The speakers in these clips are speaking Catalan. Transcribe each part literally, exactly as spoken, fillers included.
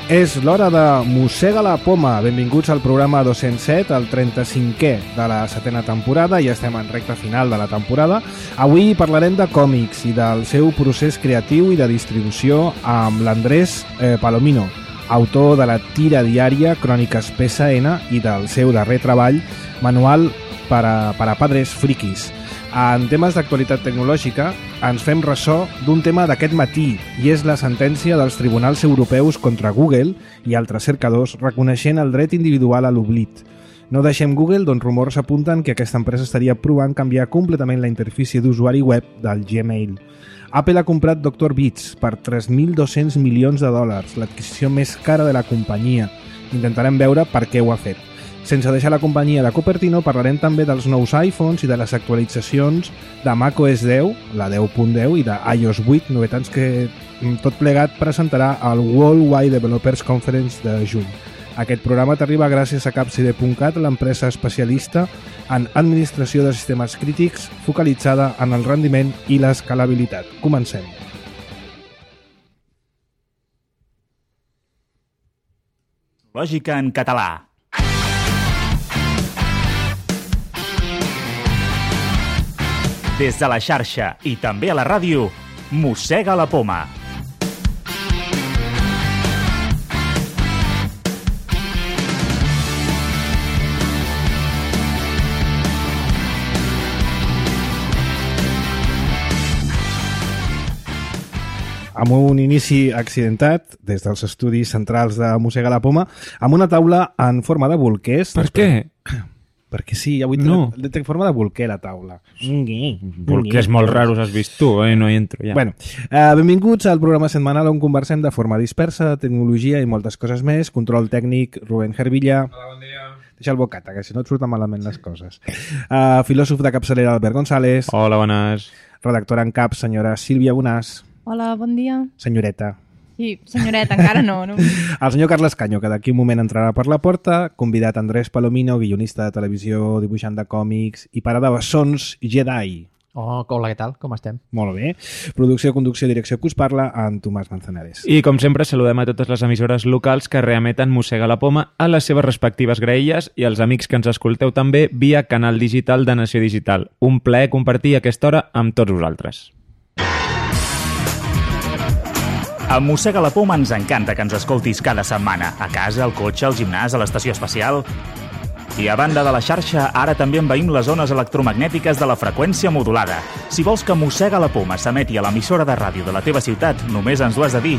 És l'hora de Mossega la Poma. Benvinguts al programa dos-cents set, el trenta-cinquè de la setena temporada. Ja estem en recta final de la temporada. Avui parlarem de còmics i del seu procés creatiu i de distribució amb l'Andrés eh, Palomino, autor de la tira diària Cròniques P S N i del seu darrer treball, Manual per a, per a padres friquis. En temes d'actualitat tecnològica ens fem ressò d'un tema d'aquest matí i és la sentència dels tribunals europeus contra Google i altres cercadors reconeixent el dret individual a l'oblit. No deixem Google, doncs rumors apunten que aquesta empresa estaria provant canviar completament la interfície d'usuari web del Gmail. Apple ha comprat doctor Beats per tres mil dos-cents milions de dòlars, l'adquisició més cara de la companyia. Intentarem veure per què ho ha fet. Sense deixar la companyia de Cupertino, parlarem també dels nous iPhones i de les actualitzacions de macOS deu, la deu punt deu, i de i O S vuit, novetats que tot plegat presentarà al Worldwide Developers Conference de juny. Aquest programa t'arriba gràcies a Capside punt cat, l'empresa especialista en administració de sistemes crítics focalitzada en el rendiment i l'escalabilitat. Comencem. Lògica en català. Des de la xarxa i també a la ràdio, Mossega la Poma. Amb un inici accidentat, des dels estudis centrals de Mossega la Poma, amb una taula en forma de bolquers. Per què? Perquè sí, avui no. té forma de bolquer la taula. Bolquers molt raros has vist tu, eh? No hi entro ja. Bueno, eh, benvinguts al programa setmanal on conversem de forma dispersa, de tecnologia i moltes coses més. Control tècnic, Rubén Hervilla. Hola, bon dia. Deixa el bocata, que si no et surten malament les coses. Uh, filòsof de capçalera, Albert González. Hola, bones. Redactora en cap, senyora Sílvia Bonàs. Hola, bon dia. Senyoreta. Sí, senyoreta, encara no. no. El senyor Carles Canyo, que d'aquí un moment entrarà per la porta, convidat Andrés Palomino, guionista de televisió, dibuixant de còmics i pare de bessons Jedi. Oh, hola, què tal? Com estem? Molt bé. Producció, conducció, direcció que us parla, en Tomàs Manzanares. I com sempre saludem a totes les emissores locals que reemeten Mossega la Poma a les seves respectives graelles i als amics que ens escolteu també via canal digital de Nació Digital. Un plaer compartir aquesta hora amb tots vosaltres. A Mossega la Poma ens encanta que ens escoltis cada setmana, a casa, al cotxe, al gimnàs, a l'estació espacial. I a banda de la xarxa, ara també envaïm les zones electromagnètiques de la freqüència modulada. Si vols que Mossega la Poma s'emeti a l'emissora de ràdio de la teva ciutat, només ens ho has de dir.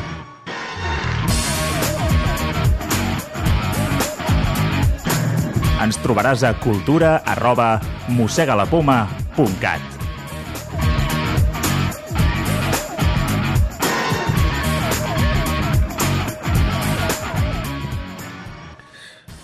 Ens trobaràs a cultura arroba mossegalapoma punt cat.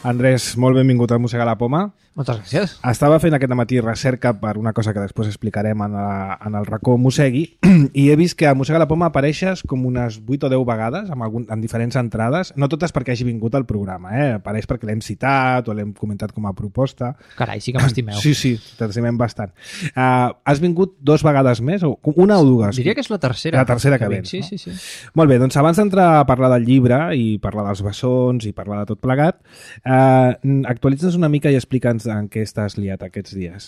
Andrés, molt benvingut a Mossega la Poma. Moltes gràcies. Estava fent aquest matí recerca per una cosa que després explicarem en, la, en el racó Mossegui i he vist que a Mossega la Poma apareixes com unes vuit o deu vegades amb algun, en diferents entrades, no totes perquè hagi vingut al programa, eh? Apareix perquè l'hem citat o l'hem comentat com a proposta. Carai, sí que m'estimeu. Sí, sí, t'estimem bastant. Uh, has vingut dos vegades més? O una o dues? Diria que és la tercera. La tercera que, que vens, sí, no? sí, sí. Molt bé, doncs abans d'entrar a parlar del llibre i parlar dels bessons i parlar de tot plegat, uh, actualitza'ns una mica i explica'ns en què estàs liat aquests dies.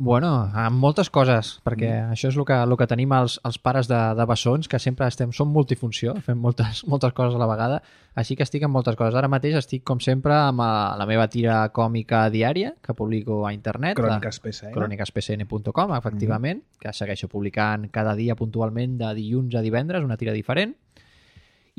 Bueno, amb moltes coses, perquè mm. això és el que, el que tenim els, els pares de, de bessons, que sempre estem, som multifunció, fem moltes, moltes coses a la vegada, així que estic amb moltes coses. Ara mateix estic, com sempre, amb a, la meva tira còmica diària, que publico a internet. Cròniques P S N. cròniques P S N punt com, efectivament, mm. que segueixo publicant cada dia puntualment de dilluns a divendres, una tira diferent.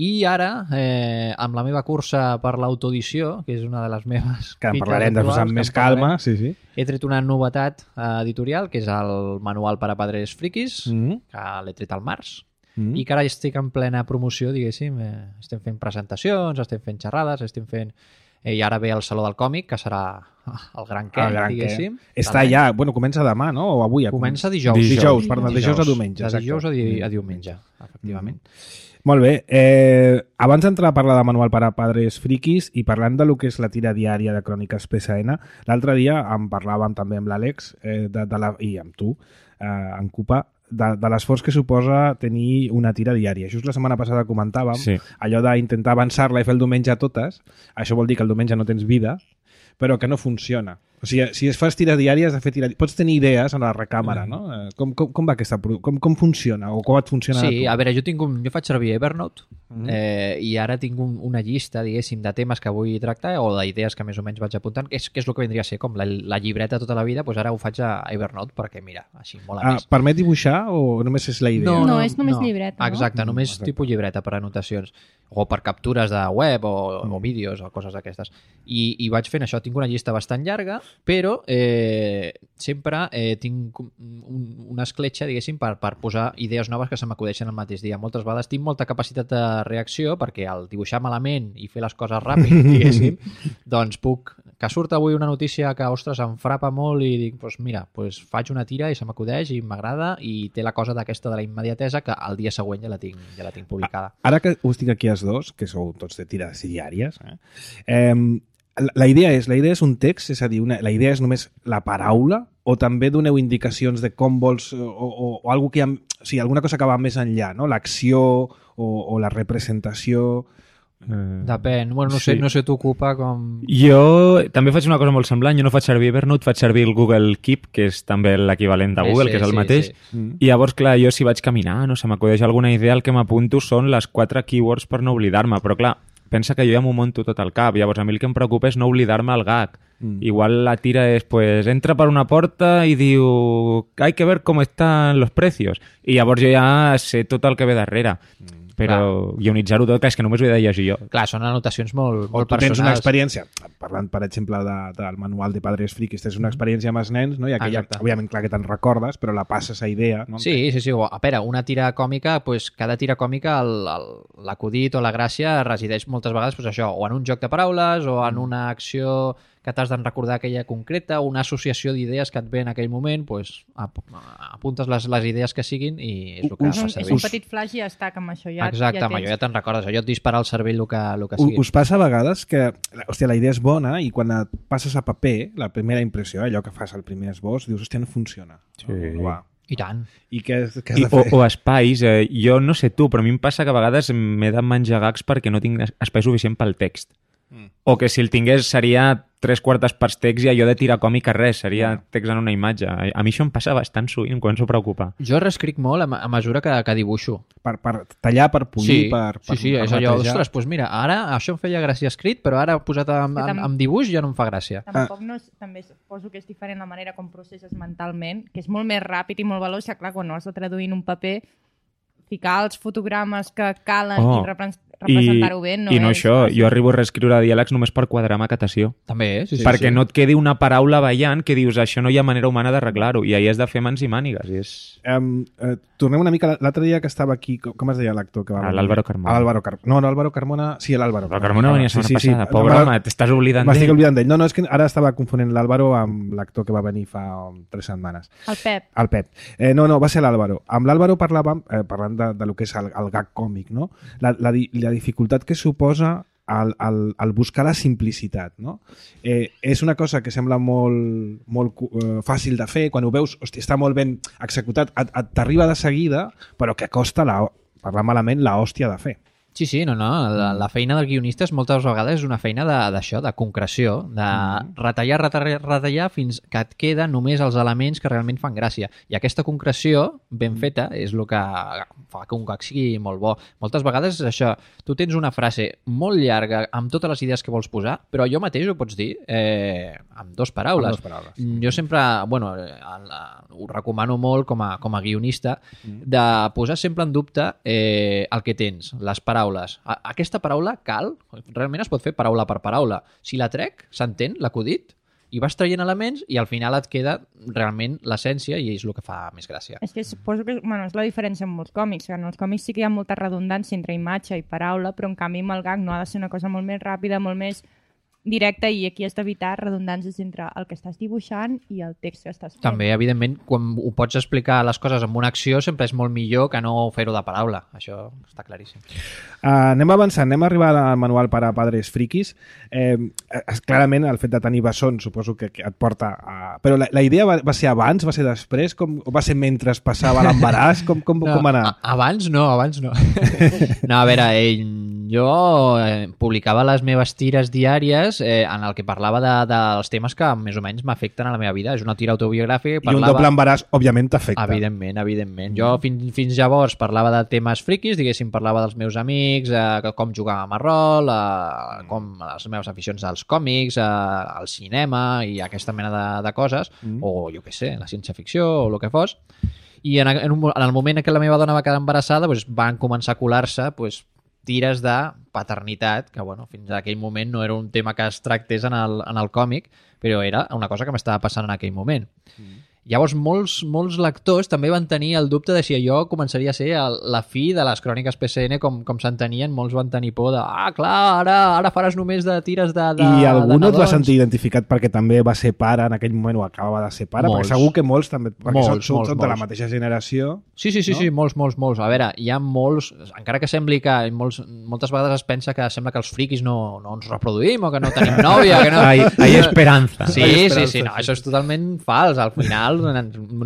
I ara, eh, amb la meva cursa per l'autodició, que és una de les meves... Que en parlarem després amb més calma, sí, sí. He tret una novetat eh, editorial, que és el Manual per a padres friquis, mm-hmm. que l'he tret al març, mm-hmm. i que ara estic en plena promoció, diguéssim. Eh, estem fent presentacions, estem fent xerrades, estem fent... Eh, I ara ve el Saló del Còmic, que serà el gran què, diguéssim. Està ja, bueno, comença demà, no? O avui? Comença dijous. Dijous, dijous perdó, dijous, dijous a diumenge. De dijous a, di a diumenge, efectivament. Mm-hmm. Molt bé. Eh, abans d'entrar a parlar de Manual per a padres friquis i parlant de lo que és la tira diària de Cròniques P S N, l'altre dia en parlàvem també amb l'Àlex eh, de, de la, i amb tu, eh, en Cupa, de, de l'esforç que suposa tenir una tira diària. Just la setmana passada comentàvem Sí. allò d'intentar avançar-la i fer el diumenge a totes. Això vol dir que el diumenge no tens vida, però que no funciona. O sigui, si es fas tires diàries, has de fer tires... Pots tenir idees en la recàmera, no? Eh, Com, com, com va aquesta... produ- Com, com funciona? O com et funciona a Sí, tu? a veure, jo tinc un, jo faig servir Evernote Mhm. eh, i ara tinc un, una llista, diguéssim, de temes que vull tractar o d'idees que més o menys vaig apuntant, que és, que és el que vindria a ser com la, la llibreta tota la vida, doncs ara ho faig a Evernote perquè, mira, així mola Ah, més. permet dibuixar o només és la idea? No, és només llibreta, no? Exacte, només Exacte. tipus llibreta per anotacions o per captures de web o, o vídeos o coses d'aquestes. I, I vaig fent això, tinc una llista bastant llarga, però eh, sempre eh, tinc un, una escletxa, diguéssim, per, per posar idees noves que se m'acudeixen el mateix dia. Moltes vegades tinc molta capacitat de reacció perquè al dibuixar malament i fer les coses ràpid, diguéssim, doncs puc... Que surt avui una notícia que, ostres, em frapa molt i dic, doncs mira, doncs faig una tira i se m'acudeix i m'agrada i té la cosa d'aquesta de la immediatesa que al dia següent ja la tinc, ja la tinc publicada. Ara que us tinc aquí els dos, que sou tots de tires diàries, eh? Eh, la, la idea és la idea és un text, és a dir, una, la idea és només la paraula o també doneu indicacions de com vols o, o, o algo que ha, o sigui, alguna cosa que va més enllà, no? L'acció o, o la representació... Eh, Depèn, bueno, no sé, sí. no sé t'ocupa com... Jo també faig una cosa molt semblant, jo no faig servir Evernote, faig servir el Google Keep, que és també l'equivalent de Google, Sí, que és el sí, mateix, sí. Mm. i llavors, clar, jo si vaig caminar, no sé, m'acudeix alguna idea, el que m'apunto són les quatre keywords per no oblidar-me, però clar, pensa que jo ja m'ho monto tot al cap, llavors a mi el que em preocupa és no oblidar-me el gag. Mm. Igual la tira és, pues, entra per una porta i diu, hay que ver cómo están los precios, i llavors jo ja sé tot el que ve darrere. Però guionitzar-ho tot, que és que només ho he de llegir jo. Clar, són anotacions molt, O molt tu tens una personals. experiència, parlant, per exemple, de, del manual de Padres Frikis, tens una experiència amb els nens, no? I aquella, Exacte. òbviament, clar que te'n recordes, però la passes a idea, no? Sí, sí, sí. A veure, una tira còmica, pues, cada tira còmica, el- el- l'acudit o la gràcia resideix moltes vegades pues, això, o en un joc de paraules o en una acció que t'has de recordar aquella concreta, o una associació d'idees que et ve en aquell moment, pues, ap apuntes les, les idees que siguin i és el que Us- fa És un, és servir. un petit flash i ja està, que amb això ja, Exacte, ja amb allò tens. ja te'n recordes. Allò et dispara al cervell el que, el que U- sigui. Us passa a vegades que, hòstia, la idea és bona i quan et passes a paper, la primera impressió, allò que fas al primer esbós, dius, hòstia, no funciona. Sí. No, no va. I tant. I què, has- què has I, de o, fer? o espais, eh, jo no sé tu, però a mi em passa que a vegades m'he de menjar gags perquè no tinc es- espai suficient pel text. Mm. O que si el tingués seria tres quartes parts text i allò de tirar còmic a res, seria text en una imatge. A a mi això em passa bastant sovint, em començo a preocupar. Jo reescric molt a, a mesura que, que dibuixo. Per, per tallar, per polir, per, per, sí, sí, per és allò, netejar. ostres, doncs mira, ara això em feia gràcia escrit, però ara posat en, Que en, tam- en dibuix ja no em fa gràcia. Tampoc no és, també suposo que és diferent la manera com processes mentalment, que és molt més ràpid i molt veloç, que clar, quan ho has de traduir en un paper, ficar els fotogrames que calen Oh, i repre- representar-ho bé no I no és això, fàcil. jo arribo a reescriure diàlegs només per quadrar macatació. També, sí, sí. perquè sí. no et quedi una paraula ballant que dius això no hi ha manera humana d'arreglar-ho i ahir has de fer mans i mànigues. I és... Um, uh, tornem una mica... L'altre dia que estava aquí... Com, com es deia l'actor que va Ah, venir? l'Álvaro Carmona. Ah, l'Álvaro Carmona. No, no, Álvaro Carmona... Sí, l'Álvaro. La Carmona venia la setmana passada. No, Pobre me- home, t'estàs oblidant M'estic d'ell. oblidant d'ell. No, no, és que ara estava confonent l'Álvaro amb l'actor que va venir fa um, tres setmanes. El Pep. El Pep. Eh, no, no, va ser l'Álvaro. Amb l'Álvaro parlàvem, eh, parlant de, de lo que és el, el gag còmic, no? La, la, di- la dificultat que suposa el, el, el buscar la simplicitat, no? Eh, és una cosa que sembla molt, molt cu- eh, fàcil de fer, quan ho veus, hosti, està molt ben executat, et- et- t'arriba de seguida, però que costa, la, parlar malament, la hòstia de fer. Sí, sí, no, no. La, la feina del guionista és moltes vegades és una feina de- d'això, de, de concreció, de retallar, retallar, retallar fins que et queden només els elements que realment fan gràcia. I aquesta concreció ben feta és el que fa que un gag sigui molt bo. Moltes vegades és això, tu tens una frase molt llarga amb totes les idees que vols posar, però allò mateix ho pots dir eh, amb dos paraules. Amb dos paraules. Jo sempre, bueno, eh, el- ho recomano molt com a, com a guionista, de posar sempre en dubte eh, el que tens, les paraules. A, aquesta paraula cal, realment es pot fer paraula per paraula. Si la trec, s'entén l'acudit, i vas traient elements i al final et queda realment l'essència i és el que fa més gràcia. És que suposo que bueno, és la diferència amb molts còmics, que en els còmics sí que hi ha molta redundància entre imatge i paraula, però en canvi amb el gag no ha de ser una cosa molt més ràpida, molt més directe i aquí has d'evitar redundàncies entre el que estàs dibuixant i el text que estàs fent. També, evidentment, quan ho pots explicar les coses amb una acció sempre és molt millor que no fer-ho de paraula. Això està claríssim. Uh, anem avançant, anem a arribar al manual per a padres friquis. Eh, clarament, el fet de tenir bessons suposo que, que et porta a... Però la, la idea va, va ser abans, va ser després? Com, o va ser mentre es passava l'embaràs? Com, com, no, com va anar? Abans no, abans no. No, a veure, eh, jo eh, publicava les meves tires diàries eh, en el que parlava de, dels temes que més o menys m'afecten a la meva vida. És una tira autobiogràfica. I parlava... un doble embaràs, òbviament, t'afecta. Evidentment, evidentment. Jo fins, fins llavors parlava de temes friquis, diguéssim, parlava dels meus amics, eh, com jugàvem a rol, eh, com les meves aficions als còmics, eh, al cinema i aquesta mena de, de coses, mm. o jo què sé, la ciència-ficció o el que fos. I en, en, un, en el moment en què la meva dona va quedar embarassada, doncs, van començar a colar-se doncs, tires de paternitat, que bueno, fins a aquell moment no era un tema que es tractés en el, en el còmic, però era una cosa que m'estava passant en aquell moment. Mm. Llavors, molts, molts lectors també van tenir el dubte de si allò començaria a ser el, la fi de les cròniques P C N com, com s'entenien. Molts van tenir por de, ah, clar, ara, ara faràs només de tires de, de I algú no et va nadons. sentir identificat perquè també va ser pare en aquell moment o acabava de ser pare? Molts. Perquè segur que molts també, perquè Molts, són, són, molts, són de la molts. mateixa generació. Sí, sí, sí, no? sí, molts, molts, molts. A veure, hi ha molts... Encara que sembli que molts, moltes vegades es pensa que sembla que els friquis no, no ens reproduïm o que no tenim nòvia, que no... Hay, hay esperanza. Sí, Hay sí, esperança, sí, no, sí. això és totalment fals. Al final no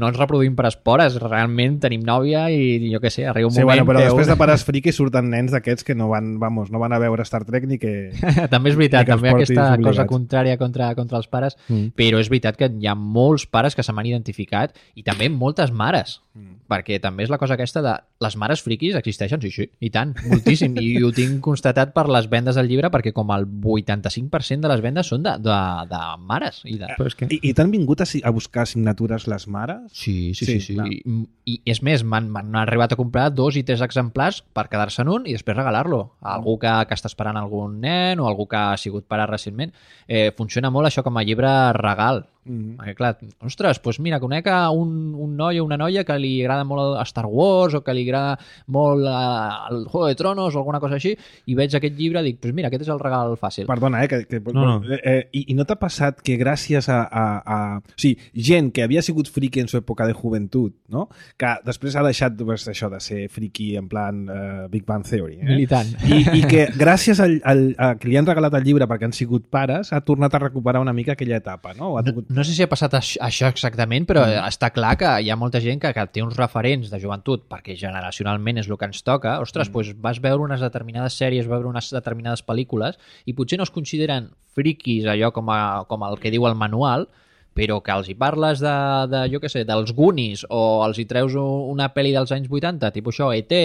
ens reproduïm per espores, realment tenim nòvia i jo què sé, arriba un Sí, moment... bueno, però que després un- de pares friquis surten nens d'aquests que no van, vamos, no van a veure Star Trek ni que... també és veritat, I que els també portis aquesta obligats. cosa contrària contra, contra els pares, Mm. però és veritat que hi ha molts pares que se m'han identificat i també moltes mares, Mm. perquè també és la cosa aquesta de les mares friquis existeixen, sí, sí, i tant, moltíssim, i ho tinc constatat per les vendes del llibre perquè com el vuitanta-cinc per cent de les vendes són de, de, de mares. I, de... Però és que... I, i t'han vingut a, si- a buscar signatures les mares? Sí, sí, Sí, sí. sí, clar. I, I és més, m'han m'han arribat a comprar dos i tres exemplars per quedar-se en un i després regalar-lo a algú que, que està esperant algun nen o algú que ha sigut pare recentment. Eh, funciona molt això com a llibre regal. Mm. Perquè, clar, ostres, doncs mira, conec a un, un noi o una noia que li agrada molt a Star Wars o que li agrada molt a, el Juego de Tronos o alguna cosa així i veig aquest llibre i dic, doncs mira, aquest és el regal fàcil. Perdona, eh? Que, que, No, no. Eh, eh, i, I no t'ha passat que gràcies a, a, a... O sigui, gent que havia sigut friki en su època de joventut, no? Que després ha deixat pues, això de ser friki en plan uh, Big Bang Theory. Eh? Militant. I, I que gràcies al, al, a que li han regalat el llibre perquè han sigut pares, ha tornat a recuperar una mica aquella etapa, no? O ha No, tingut... no sé si ha passat això, això exactament, però mm. està clar que hi ha molta gent que, que té uns referents de joventut, perquè generacionalment és el que ens toca. Ostres, mm. doncs vas veure unes determinades sèries, vas veure unes determinades pel·lícules, i potser no es consideren friquis allò com, a, com el que diu el manual, però que els hi parles de, de jo què sé, dels Goonies, o els hi treus una pel·li dels anys vuitanta, tipus això, E T,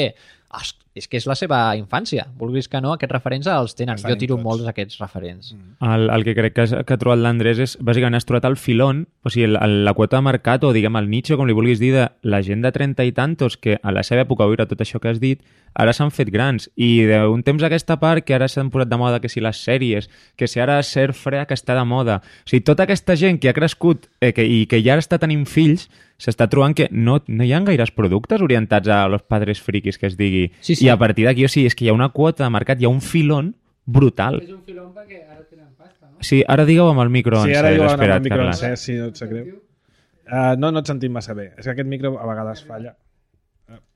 és que és la seva infància. Vulguis que no, aquests referents els tenen. Estan Jo tiro tots. molts d'aquests referents. Mm. El, el que crec que, has- que ha trobat l'Andrés és, bàsicament, has trobat el filon, o sigui, el, el, la quota de mercat, o diguem el nicho, com li vulguis dir, de la gent de trenta i tantos que a la seva època va viure tot això que has dit, ara s'han fet grans. I d'un temps a aquesta part, que ara s'han posat de moda que si les sèries, que si ara ser frea que està de moda. O sigui, tota aquesta gent que ha crescut eh, que, i que ja està tenint fills, s'està trobant que no, no hi ha gaires productes orientats a los padres friquis, que es digui. Sí, sí. I a partir d'aquí, o sigui, és que hi ha una quota de mercat, hi ha un filon brutal. És un filón perquè ara tenen pasta, no? Sí, ara digueu amb el micro Sí, encès, ara diuen amb espera't, el micro Carles. encès, si no et sap greu. Uh, no, no et sentim massa bé. És que aquest micro a vegades falla.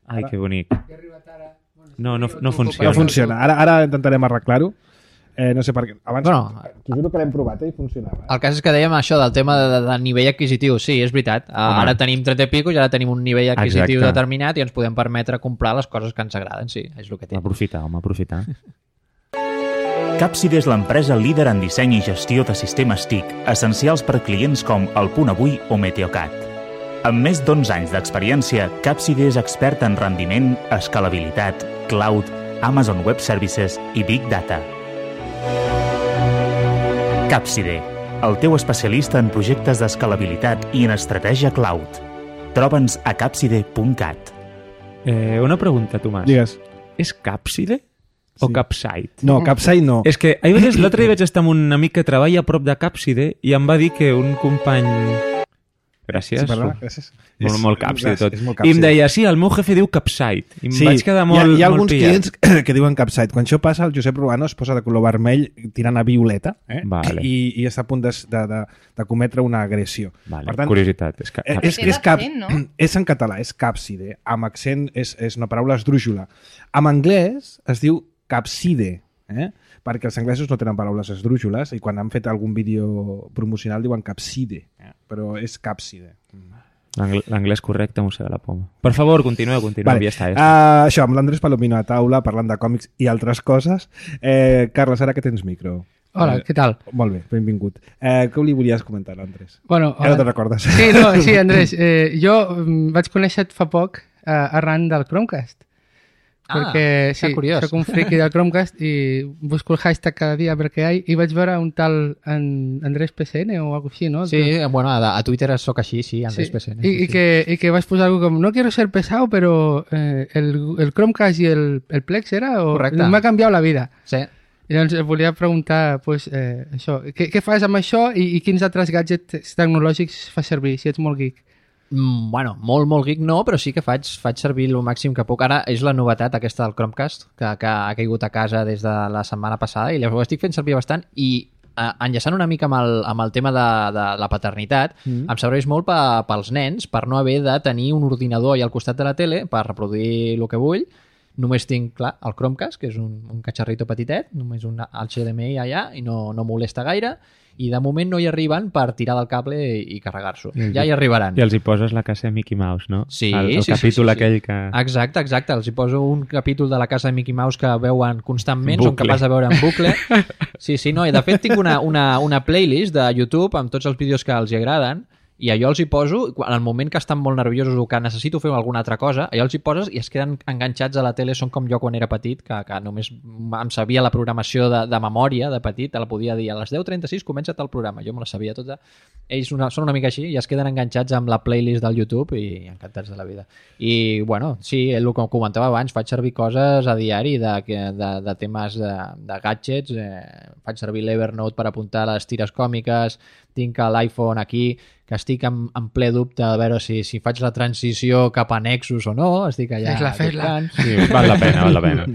Ai, que bonic. He arribat ara... Bueno, No, no, tu- no tu- funciona. No funciona. Ara, ara intentarem arreglar-ho. Eh, no sé per què. Abans, Bueno. t'ho juro que l'hem provat eh, i funcionava. Eh? El cas és que dèiem això del tema de, de, de nivell adquisitiu. Sí, és veritat. Uh, Home. ara tenim trenta i pico i ara tenim un nivell adquisitiu Exacte. determinat i ens podem permetre comprar les coses que ens agraden. Sí, és el que té. Aprofitar, home, aprofitar. Capside és l'empresa líder en disseny i gestió de sistemes T I C, essencials per clients com El Punt Avui o Meteocat. Amb més d'onze anys d'experiència, Capside és expert en rendiment, escalabilitat, cloud, Amazon Web Services i Big Data. Capside, el teu especialista en projectes d'escalabilitat i en estratègia cloud. Troba'ns a capside punt cat. Eh, una pregunta, Tomàs. Digues. És Capside o Sí. Capsite? No, Capside no. És que ahir vaig- l'altre dia vaig estar amb un amic que treballa a prop de Capside i em va dir que un company Gràcies. Sí, perdona, gràcies. Molt, És- molt capsi és- tot. és molt I em capsi. deia, sí, el meu jefe diu capsite. I em Sí, vaig quedar hi molt, ha, hi ha molt alguns pillat. clients que diuen capsite. Quan això passa, el Josep Ruano es posa de color vermell tirant a violeta eh? Vale. I, i està a punt de, de, de, de cometre una agressió. Vale, Per tant, curiositat. És que... Eh, Perquè és, té és, cap, l'accent, no? és en català, és capside. Amb accent és, és una paraula esdrújula. En anglès es diu capside, eh? perquè els anglesos no tenen paraules esdrújoles i quan han fet algun vídeo promocional diuen capside, eh? però és capside. L'angl- L'anglès correcte, mossega la poma. Per favor, continueu, continueu. Vale. Ja està, ja està. Uh, això, amb l'Andrés Palomino a taula, parlant de còmics i altres coses. Eh, Carles, ara que tens micro. Hola, Eh, què tal? Molt bé, benvingut. Eh, què li volies comentar, Andrés? Bueno, Ja no eh, te'n recordes. Sí, no, sí, Andrés, eh, jo mm, vaig conèixer fa poc eh, arran del Chromecast. Ah, perquè que sí, curiós. soc un friki del Chromecast i busco el hashtag cada dia perquè hi ha i vaig veure un tal en Andrés P C N o alguna cosa així, no? Sí, bueno, a, a Twitter sóc així, sí, Andrés Sí. P C N. I, sí, i, que, I que vas posar algo com no quiero ser pesado, pero eh, el, el Chromecast i el, el Plex era? O, Correcte. m'ha canviat la vida. Sí. I llavors et volia preguntar pues, eh, això, què, què fas amb això i, i quins altres gadgets tecnològics fas servir, si ets molt geek? Mm, bueno, molt, molt geek no, però sí que faig, faig servir el màxim que puc. Ara és la novetat aquesta del Chromecast, que, que ha caigut a casa des de la setmana passada i llavors ho estic fent servir bastant i eh, enllaçant una mica amb el, amb el tema de, de la paternitat, mm. em serveix molt pa, pels nens per no haver de tenir un ordinador allà al costat de la tele per reproduir el que vull. Només tinc, clar, el Chromecast, que és un, un catxarrito petitet, només un H D M I allà i no, no molesta gaire, i de moment no hi arriben per tirar del cable i, i carregar-s'ho. Ja hi arribaran. I els hi poses la casa de Mickey Mouse, no? Sí, el, el sí, capítol sí, sí, aquell sí. que... Exacte, exacte. Els hi poso un capítol de la casa de Mickey Mouse que veuen constantment, Bucle. són capaç de veure en bucle. Sí, sí, no, i de fet tinc una, una, una playlist de YouTube amb tots els vídeos que els hi agraden i allò els hi poso, en el moment que estan molt nerviosos o que necessito fer alguna altra cosa, allò els hi poses i es queden enganxats a la tele. Són com jo quan era petit, que, que només em sabia la programació de, de memòria de petit, te la podia dir a les deu trenta-sis comença tal programa, jo me la sabia tota. Ells una, són una mica així i es queden enganxats amb la playlist del YouTube i encantats de la vida. I, bueno, sí, el que comentava abans, faig servir coses a diari de, de, de temes de, de gadgets, eh, faig servir l'Evernote per apuntar les tires còmiques, tinc l'iPhone aquí, que estic en, en ple dubte de veure si, si faig la transició cap a Nexus o no, estic allà... Fes-la, fes-la. buscant. Sí, val la pena, val la pena.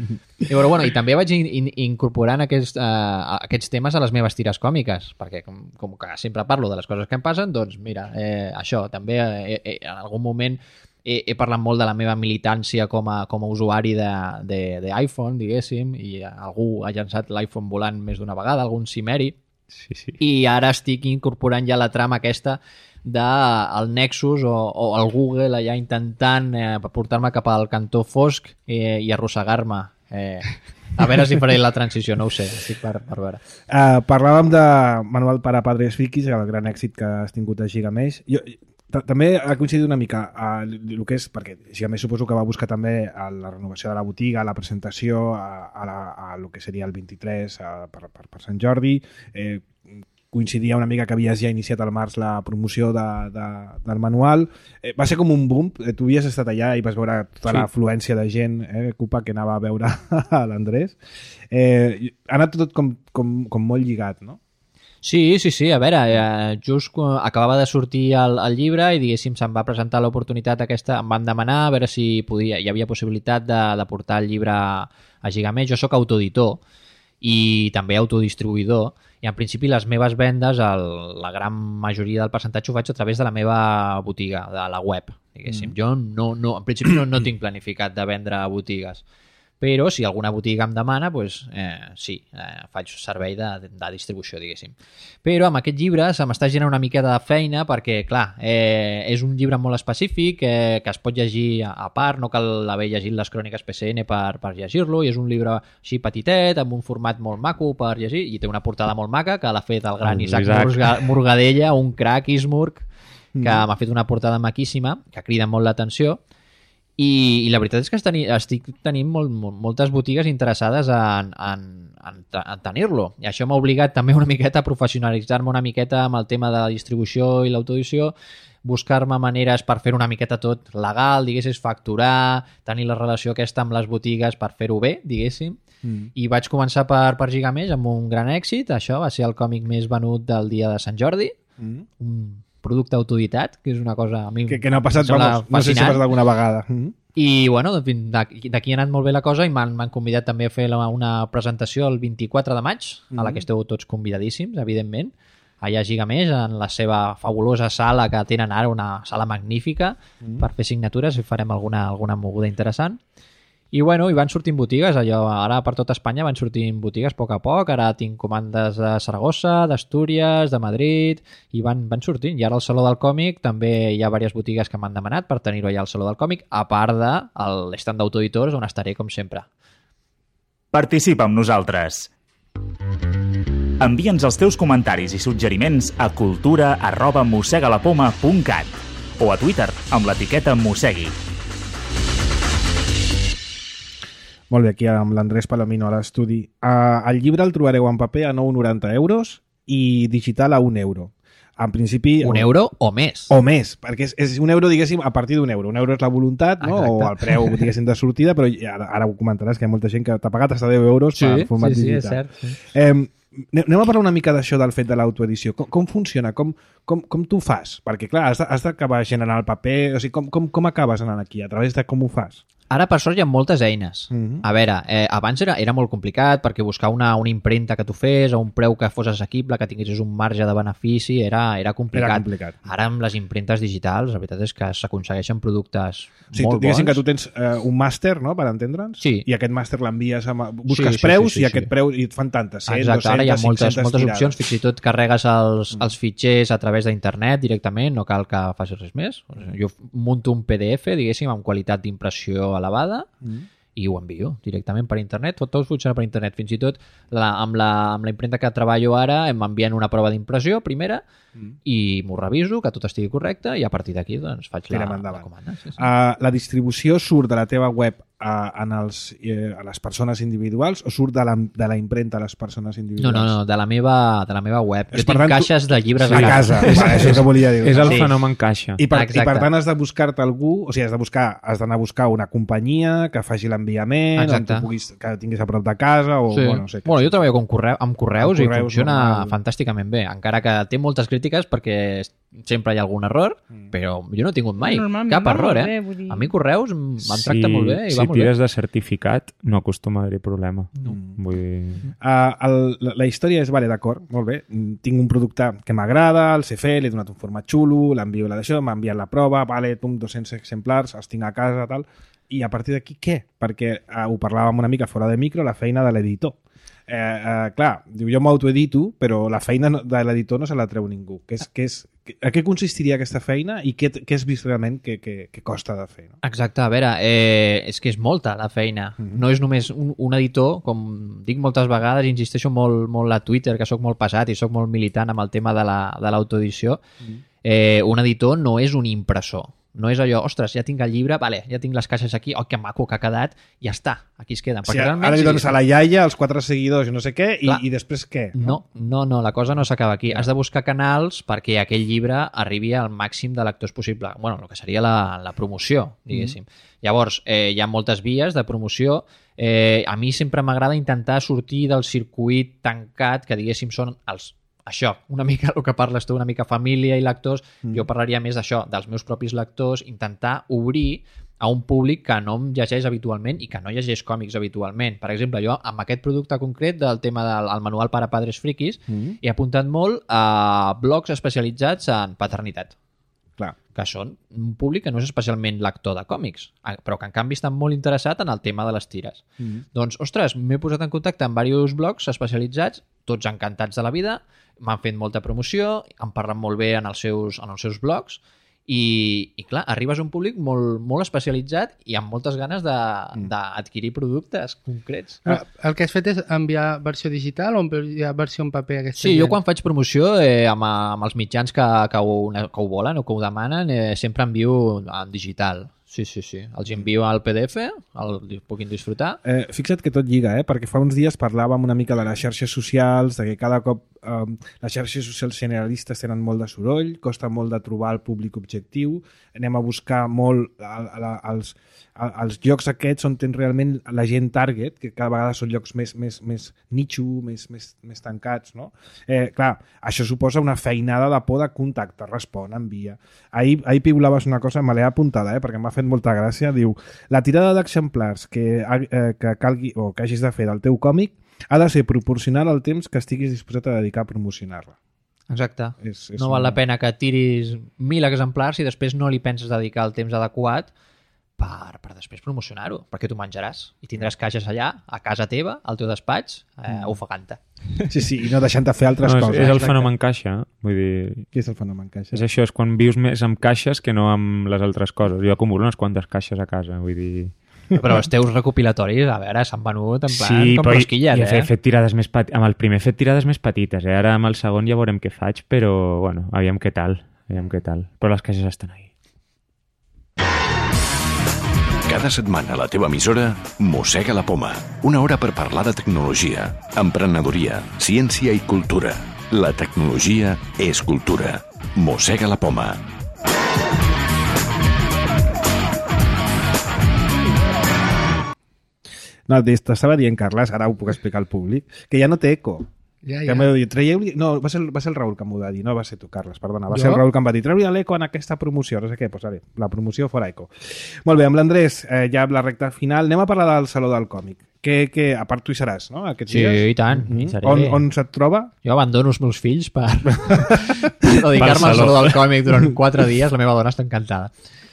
I, però, bueno, i també vaig in, in, incorporant aquests, uh, aquests temes a les meves tires còmiques, perquè com, com que sempre parlo de les coses que em passen, doncs mira, eh, això, també eh, eh, en algun moment he, he parlat molt de la meva militància com a, com a usuari d'iPhone, diguéssim, i algú ha llançat l'iPhone volant més d'una vegada, algun cimeri, Sí, sí. i ara estic incorporant ja la trama aquesta del Nexus o, o el Google allà intentant eh, portar-me cap al cantó fosc eh, i arrossegar-me. Eh, a veure si faré la transició, no ho sé, estic per, per veure. Uh, parlàvem de Manual para Padres Frikis, el gran èxit que has tingut a Gigamesh. Jo, t- també ha coincidit una mica uh, el que és, perquè Gigamesh suposo que va buscar també a la renovació de la botiga, la presentació, a, a, la, a lo que seria el vint-i-tres a, per, per, per Sant Jordi. Eh, coincidia una mica que havies ja iniciat al març la promoció de, de, del manual. Eh, va ser com un boom. Eh, tu havies estat allà i vas veure tota Sí. l'afluència de gent, eh, Cupa, que anava a veure a l'Andrés. Eh, ha anat tot com, com, com molt lligat, no? Sí, sí, sí, a veure, eh, just quan acabava de sortir el, el llibre i diguéssim se'm va presentar l'oportunitat aquesta, em van demanar a veure si podia, hi havia possibilitat de, de portar el llibre a Gigamesh. Jo sóc autoeditor i també autodistribuïdor i en principi les meves vendes, el, la gran majoria del percentatge ho faig a través de la meva botiga, de la web, diguéssim. Mm. Jo no, no, en principi no, no tinc planificat de vendre a botigues, però si alguna botiga em demana, doncs, eh, sí, eh, faig servei de, de distribució, diguéssim. Però amb aquest llibre se m'està generant una mica de feina perquè, clar, eh, és un llibre molt específic eh, que es pot llegir a, a part, no cal haver llegit les cròniques P C N per, per llegir-lo, i és un llibre així petitet, amb un format molt maco per llegir, i té una portada molt maca que l'ha fet el gran El Isaac, Isaac. Murga, Murgadella, un crac Ismurg, que mm. m'ha fet una portada maquíssima, que crida molt l'atenció. I, i la veritat és que teni, estic tenint molt, molt, moltes botigues interessades en, en, en, en tenir-lo, i això m'ha obligat també una miqueta a professionalitzar-me una miqueta amb el tema de la distribució i l'autoedició, buscar-me maneres per fer una miqueta tot legal, diguéssim, facturar, tenir la relació aquesta amb les botigues per fer-ho bé, diguéssim. Mm. I vaig començar per, per Gigamesh amb un gran èxit. Això va ser el còmic més venut del dia de Sant Jordi. Mm. Un producte autoeditat, que és una cosa a mi Que, que no ha passat, em sembla vamos, no sé si ha fascinant. passat alguna vegada. Mm -hmm. I, bueno, d'aquí d'aquí ha anat molt bé la cosa i m'han m'han convidat també a fer la, una presentació el vint-i-quatre de maig, mm -hmm. a la que esteu tots convidadíssims, evidentment, allà a Gigamesh, en la seva fabulosa sala que tenen ara, una sala magnífica, mm -hmm. per fer signatures i farem alguna, alguna moguda interessant. I, bueno, i van sortint botigues, allò, ara per tot Espanya van sortint botigues a poc a poc, ara tinc comandes de Saragossa, d'Astúries, de Madrid, i van, van sortint. I ara al Saló del Còmic també hi ha diverses botigues que m'han demanat per tenir-ho allà al Saló del Còmic, a part de l'estand d'autoeditors, on estaré, com sempre. Participa amb nosaltres. Envia'ns els teus comentaris i suggeriments a cultura arroba mossegalapoma punt cat o a Twitter amb l'etiqueta mossegui. Molt bé, aquí amb l'Andrés Palomino a l'estudi. Uh, el llibre el trobareu en paper a nou coma noranta euros i digital a un euro. En principi... Un euro o més. O més, perquè és, és un euro, diguéssim, a partir d'un euro. Un euro és la voluntat, no? Exacte. O el preu, diguéssim, de sortida, però ara, ara ho comentaràs, que hi ha molta gent que t'ha pagat fins a deu euros sí, per format sí, sí, digital. és cert. Sí. Eh, anem a parlar una mica d'això, del fet de l'autoedició. Com, com funciona? Com, com, com tu fas? Perquè, clar, has, has d'acabar generant el paper... O sigui, com, com, com acabes anant aquí? A través de com ho fas? Ara, per sort, hi ha moltes eines. Mhm. A veure, eh, abans era, era molt complicat perquè buscar una, una impremta que tu fes a un preu que fos assequible, que tinguessis un marge de benefici, era, era complicat. Era complicat. Ara, amb les impremtes digitals, la veritat és que s'aconsegueixen productes O sigui, molt tu, diguéssim bons. que tu tens eh, un màster, no?, per entendre'ns, Sí. i aquest màster l'envies, a... busques Sí, sí, preus sí, sí, i aquest sí. preu i et fan tantes, cent, Exacte, ara hi ha dues-centes, moltes, cinc-centes moltes tirades. opcions, fins i tot carregues els, els fitxers a través d'internet directament, no cal que facis res més. O sigui, jo munto un P D F, diguéssim, amb qualitat d'impressió elevada, Mm. i ho envio directament per internet, tot, tot funciona per internet, fins i tot la, amb, la, amb la impremta que treballo ara m'envien una prova d'impressió primera Mm. i m'ho reviso, que tot estigui correcte, i a partir d'aquí doncs, faig la, Tirem la endavant. comanda. Sí, sí. Uh, la distribució surt de la teva web a, en els, eh, a les persones individuals o surt de la, de la impremta a les persones No, individuals? no, no, de la meva, de la meva web. És, Jo per tinc tant, tu- caixes de llibres A casa, És- va, això que volia dir. És el Sí. fenomen caixa. I per, I Exacte. per tant has de buscar-te algú, o sigui, has de buscar, has d'anar a buscar una companyia que faci l'enviament, on Exacte. tu puguis, que tinguis a prop de casa, o Sí. bueno, no sé. Bueno, jo treballo amb, correu, amb correus Amb i correus funciona normal. fantàsticament bé, encara que té moltes crítiques perquè sempre hi ha algun error, Mm. però jo no he tingut mai Normalment cap va error, molt eh? bé, vull dir. A mi correus em em tracta molt bé i si va molt tires bé. de certificat, no acostuma a haver-hi problema. Mm. Vull dir... Uh, el, la, la història és, vale, d'acord, molt bé, mm, tinc un producte que m'agrada, el sé fer, li he donat un format xulo, l'envio la d'això, m'ha enviat la prova, vale, tum, dos-cents exemplars, els tinc a casa, tal, i a partir d'aquí què? Perquè uh, ho parlàvem una mica fora de micro, la feina de l'editor. Eh, eh, clar, diu, jo m'autoedito, però la feina no- de l'editor no se la treu ningú. Que és, que és, que, a què consistiria aquesta feina i què, què has vist realment que, que, que costa de fer? No? Exacte, a veure, eh, és que és molta la feina. Mhm. No és només un, un editor, com dic moltes vegades, insisteixo molt, molt a Twitter, que sóc molt pesat i sóc molt militant amb el tema de la- de l'autoedició. Mhm. Eh, un editor no és un impressor. No és allò, ostres, ja tinc el llibre, vale, ja tinc les caixes aquí, oh, que maco que ha quedat, ja està, aquí es queden. O sigui, Perquè realment, ara li sí, dones a la iaia, els quatre seguidors i no sé què, i, Clar. i després què? No, no, no, la cosa no s'acaba aquí. Has de buscar canals perquè aquell llibre arribi al màxim de lectors possible. Bueno, el que seria la, la promoció, diguéssim. Mm. Llavors, eh, hi ha moltes vies de promoció. Eh, a mi sempre m'agrada intentar sortir del circuit tancat, que diguéssim són els això, una mica el que parles tu, una mica família i lectors, mm. jo parlaria més d'això, dels meus propis lectors, intentar obrir a un públic que no em llegeix habitualment i que no llegeix còmics habitualment. Per exemple, jo amb aquest producte concret del tema del el manual per a padres friquis Mm. he apuntat molt a blogs especialitzats en paternitat, Clar. que són un públic que no és especialment lector de còmics, però que en canvi estan molt interessat en el tema de les tires. Mm. Doncs, ostres, m'he posat en contacte amb diversos blogs especialitzats, tots encantats de la vida, m'han fet molta promoció, em parlen molt bé en els seus, en els seus blogs, i, i clar, arribes a un públic molt, molt especialitzat i amb moltes ganes de- d'adquirir productes concrets. Ah, el que has fet és enviar versió digital o enviar versió en paper? Aquesta Sí, jo gent? quan faig promoció eh, amb, amb els mitjans que, que, ho, que ho volen o que ho demanen, eh, sempre envio en digital. Sí, sí, sí. Els envio al P D F, el puguin disfrutar. Eh, fixa't que tot lliga, eh? Perquè fa uns dies parlàvem una mica de les xarxes socials, de que cada cop um, les xarxes socials generalistes tenen molt de soroll, costa molt de trobar el públic objectiu, anem a buscar molt a, a, a, els, a, als llocs aquests on tens realment la gent target, que cada vegada són llocs més, més, més nicho, més, més, més tancats, no? Eh, clar, això suposa una feinada de por de contacte, respon, envia. Ahir, ahir piulaves una cosa, me l'he apuntada, eh, perquè m'ha fet molta gràcia, diu, la tirada d'exemplars que, eh, que calgui o que hagis de fer del teu còmic ha de ser proporcional al temps que estiguis disposat a dedicar a promocionar-la. Exacte. És, és no una... val la pena que tiris mil exemplars i després no li penses dedicar el temps adequat per, per després promocionar-ho, perquè tu menjaràs i tindràs caixes allà, a casa teva, al teu despatx, eh, ofegant-te. Sí, sí, i no deixant de fer altres no, és, coses. És el Exacte. fenomen caixa. Vull dir... Què és el fenomen caixa? És això, és quan vius més amb caixes que no amb les altres coses. Jo acumulo unes quantes caixes a casa, vull dir... Però els teus recopilatoris, a veure, s'han venut en plan sí, com però rosquilles, i, i eh? he fet tirades més petites. Amb el primer he fet tirades més petites, eh? Ara amb el segon ja veurem què faig, però, bueno, aviam què tal. Aviam què tal. Però les caixes estan ahí. Cada setmana a la teva emissora, Mossega la Poma. Una hora per parlar de tecnologia, emprenedoria, ciència i cultura. La tecnologia és cultura. Mossega la Poma. No, t'estava dient, Carles, ara ho puc explicar al públic, que ja no té eco. Ja, Que ja. m'heu dit, traieu-li... No, va ser, el- va ser el Raül que m'ho va dir, no va ser tu, Carles, perdona. Va Jo? ser el Raül que em va dir, treu-li l'eco en aquesta promoció, no sé què, doncs vale, la promoció fora eco. Molt bé, amb l'Andrés, eh, ja amb la recta final, anem a parlar del Saló del Còmic. Que, que a part tu hi seràs, no?, aquests Sí, dies. i tant. Mm Hi seré. on, on se't troba? Jo abandono els meus fills per, per dedicar-me al saló del còmic durant quatre dies. La meva dona està encantada.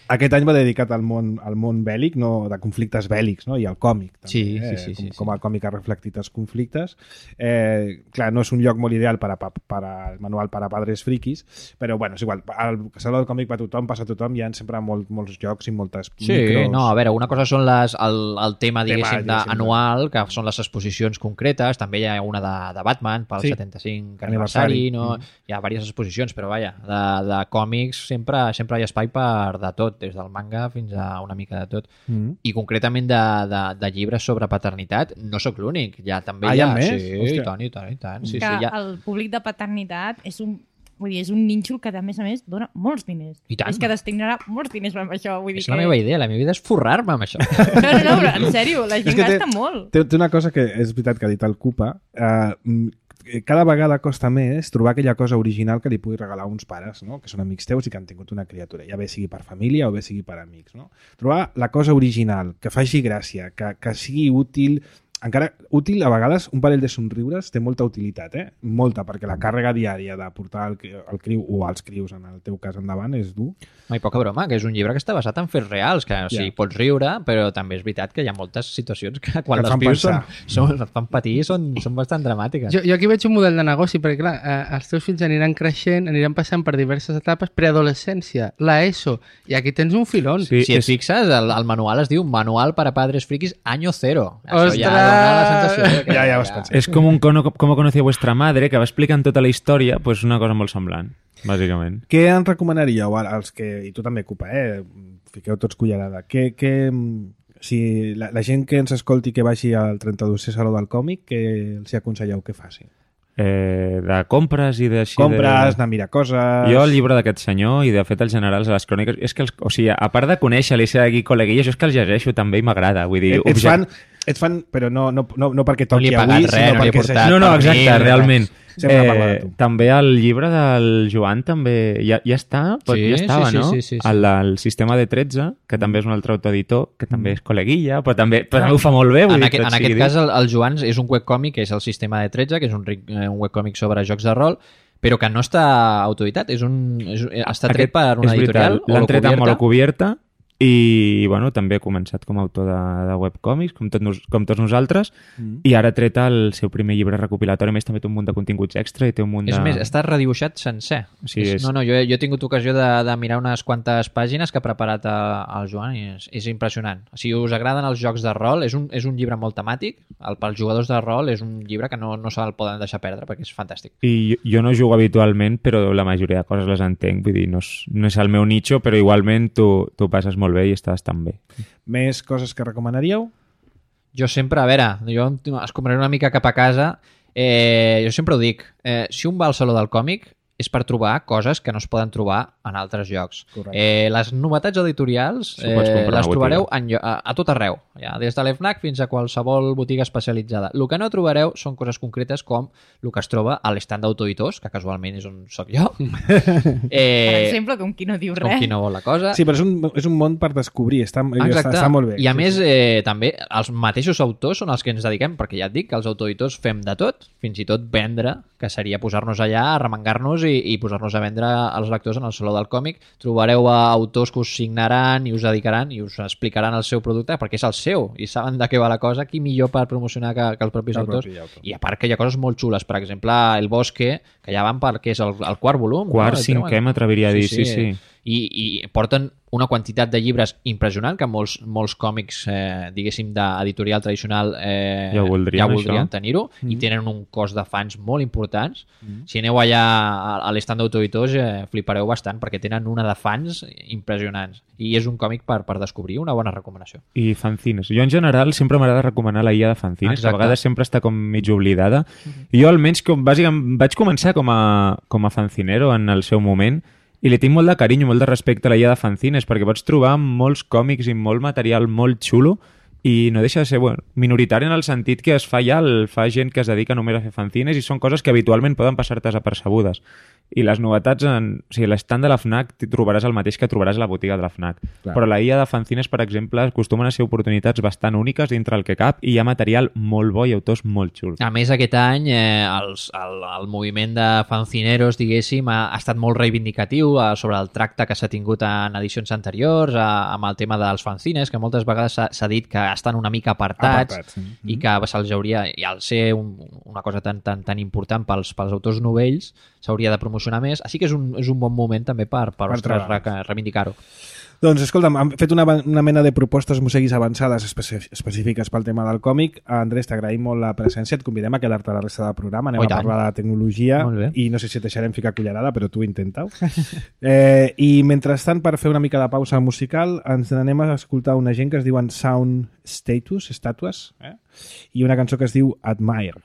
Aquest any va dedicat al món, al món bèl·lic, no, de conflictes bèl·lics, no? I al còmic, també, Sí, sí, eh? sí, com, sí, com sí. el còmic ha reflectit els conflictes. Eh, clar, no és un lloc molt ideal per a, per a, el manual per a padres friquis, però bueno, és igual, al Saló del Còmic va tothom, passa tothom, hi ha sempre molt, molts jocs i moltes Sí, micros. no, a veure, una cosa són les, el, el tema, diguéssim, Tema, de, diguéssim, anual, que són les exposicions concretes, també hi ha una de, de Batman pel Sí. setanta-cinc Aniversari. aniversari, no? Mm. Hi ha diverses exposicions, però vaja, de, de còmics sempre, sempre hi ha espai per de tot, des del manga fins a una mica de tot. Mm. I concretament de, de, de llibres sobre paternitat, no sóc l'únic, ja també Ah, hi hi ha... ha més? Sí, Hòstia. i tant, i tant, i tant. Sí, que sí, ja... el públic de paternitat és un, vull dir, és un nínxol que, a més a més, dona molts diners. I tant. És que destinarà molts diners amb això. Vull dir És la que... meva idea, la meva idea és forrar-me amb això. No, no, no, però en sèrio, la gent que té- gasta molt. Té, té una cosa que és veritat que ha dit el Cupa, eh, mm, cada vegada costa més trobar aquella cosa original que li pugui regalar a uns pares, no?, que són amics teus i que han tingut una criatura, ja bé sigui per família o bé sigui per amics, no? Trobar la cosa original, que faci gràcia, que, que sigui útil, encara útil, a vegades un parell de somriures té molta utilitat, eh? Molta, perquè la càrrega diària de portar el, el criu o els crius, en el teu cas endavant, és dur. No, i poca broma, que és un llibre que està basat en fets reals, que o sigui, Ja. pots riure, però també és veritat que hi ha moltes situacions que quan Que et les fan vius són, pensar. són, et fan patir, són, són bastant dramàtiques. Jo, jo aquí veig un model de negoci, perquè clar, eh, els teus fills aniran creixent, aniran passant per diverses etapes, preadolescència, la ESO, i aquí tens un filón. Sí, si et és- fixes, el, el manual es diu Manual para Padres Frikis Año Cero. Això Ostres! ja dona la sensació de que... Ja, ja ho has pensat. És com un cono, com conocía vuestra madre, que va explicant tota la història, pues una cosa molt semblant, bàsicament. Què en recomanaríeu als que, i tu també, Cupa, eh? Fiqueu tots cullerada, què, què, si la, la gent que ens escolti que vagi al trenta-dosè Saló del Còmic, què els hi aconselleu que faci? Eh, de compres i d'així... Compres, de... anar a mirar coses... Jo el llibre d'aquest senyor i de fet els generals de les cròniques és que els, o sigui, a part de conèixer l'I C d'aquí col·leguilles, jo és que els llegeixo també i m'agrada, vull dir... Et, ets, object- fan, ets fan, però no, no, no, no perquè No li toqui he pagat avui, res, sinó no li he perquè portat s'hagi- No, no, per exacte, mi, realment. Sempre parla de tu. També el llibre del Joan també ja, ja està, pot, Sí, ja estava, sí, sí, no? sí, sí, sí. El, el sistema de tretze, que també és un altre autoeditor, que també és col·leguilla, però també, però també ho fa molt bé. Vull En, dir, aquest, tot en sigui aquest dit. cas, el, el Joan és un webcòmic que és el sistema de tretze, que és un, ric- eh, un webcòmic sobre jocs de rol, però que no està autoeditat, és un, és, està tret Aquest per una és editorial, veritat, l'han tret amb Holocubierta. Holocubierta i bueno, també ha començat com a autor de, de webcòmics, com, tot, nos- com tots nosaltres, Mm. i ara ha tret el seu primer llibre recopilatori, a més també té un munt de continguts extra i té un munt de... És més, està redibuixat sencer. Sí, és, és- No, no, jo, he- jo he tingut ocasió de, de mirar unes quantes pàgines que ha preparat a, el Joan i és, és impressionant. Si us agraden els jocs de rol, és un, és un llibre molt temàtic. El, pels jugadors de rol és un llibre que no, no se'l poden deixar perdre perquè és fantàstic. I jo, jo no jugo habitualment, però la majoria de coses les entenc, vull dir, no és, no és el meu nicho, però igualment tu, tu passes molt bé i estàs tan bé. Més coses que recomanaríeu? Jo sempre, a veure, jo es compraré una mica cap a casa. Eh, jo sempre ho dic, eh, si un va al Saló del Còmic és per trobar coses que no es poden trobar en altres llocs. Eh, les novetats editorials eh, les trobareu en, a, a tot arreu, ja, des de l'FNAC fins a qualsevol botiga especialitzada. El que no trobareu són coses concretes com el que es troba a l'estand d'autoeditors, que casualment és on soc jo. eh, per exemple, com qui no diu res. Com qui no vol la cosa. Sí, però és un, és un món per descobrir, està, està, està molt bé. I a sí, més, sí. eh, també, els mateixos autors són els que ens dediquem, perquè ja et dic que els autoeditors fem de tot, fins i tot vendre, que seria posar-nos allà, arremangar-nos i, i posar-nos a vendre als lectors en el Saló del Còmic. Trobareu a autors que us signaran i us dedicaran i us explicaran el seu producte perquè és el seu i saben de què va la cosa, qui millor per promocionar que, que els propis el autors. propi autor. I a part que hi ha coses molt xules, per exemple, El Bosque, que ja van perquè és el, el quart volum. Quart, no? cinquè, m'atreviria a dir, sí, sí. sí. I, i porten una quantitat de llibres impressionant que molts, molts còmics, eh, diguéssim, d'editorial tradicional eh, ja voldrien, ja voldrien això. tenir-ho mm. i tenen un cos de fans molt importants. Mm. Si aneu allà a, a l'estand d'autoeditors eh, flipareu bastant perquè tenen una de fans impressionants i és un còmic per, per descobrir, una bona recomanació. I fanzines. Jo en general sempre m'agrada recomanar la guia de fanzines, Exacte. que a vegades sempre està com mig oblidada. Mm-hmm. Jo almenys com, bàsicament vaig començar com a, com a fanzinero en el seu moment i li tinc molt de carinyo, molt de respecte a la guia de fanzines perquè pots trobar molts còmics i molt material molt xulo i no deixa de ser bueno, minoritari en el sentit que es fa ja, el fa gent que es dedica només a fer fanzines i són coses que habitualment poden passar-te desapercebudes. I les novetats, en, o sigui, l'estand de la FNAC trobaràs el mateix que trobaràs a la botiga de la FNAC. Clar. Però la guia de fanzines, per exemple, acostumen a ser oportunitats bastant úniques dintre el que cap i hi ha material molt bo i autors molt xuls. A més, aquest any eh, els, el, el moviment de fanzineros, diguéssim, ha, ha estat molt reivindicatiu eh, sobre el tracte que s'ha tingut en edicions anteriors, eh, amb el tema dels fanzines, que moltes vegades s'ha dit que estan una mica apartats, apartats sí. i que se'ls hauria, i al ser un, una cosa tan, tan, tan important pels, pels autors novells, s'hauria de promocionar més, així que és un, és un bon moment també per, per, per re, reivindicar-ho. Doncs escolta'm, hem fet una, una mena de propostes museguis avançades específiques pel tema del còmic. Andrés, t'agraïm molt la presència, et convidem a quedar-te a la resta del programa, anem oh, a parlar de tecnologia i no sé si et deixarem ficar cullerada, però tu intenta-ho. eh, I mentrestant, per fer una mica de pausa musical, ens anem a escoltar una gent que es diuen Sound Status, estàtues, eh? i una cançó que es diu Admire.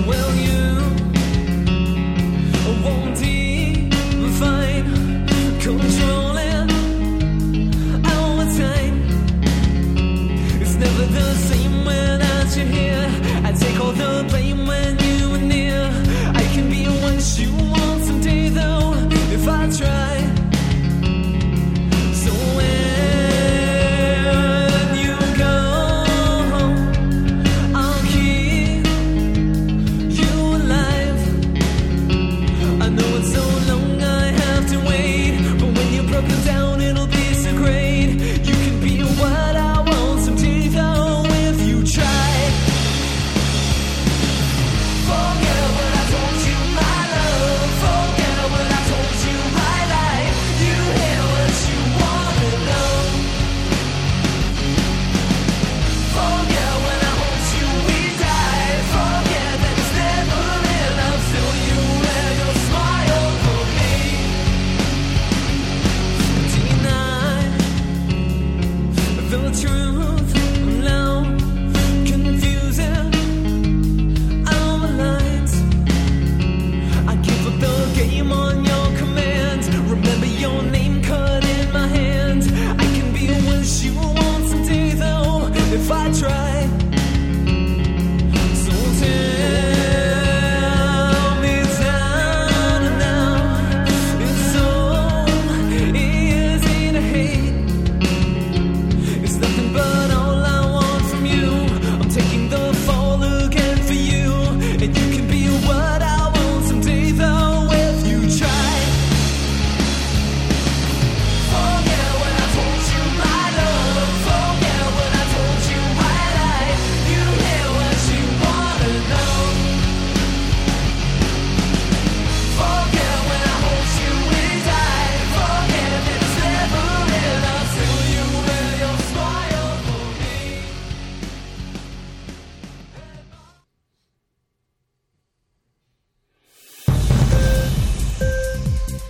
Will you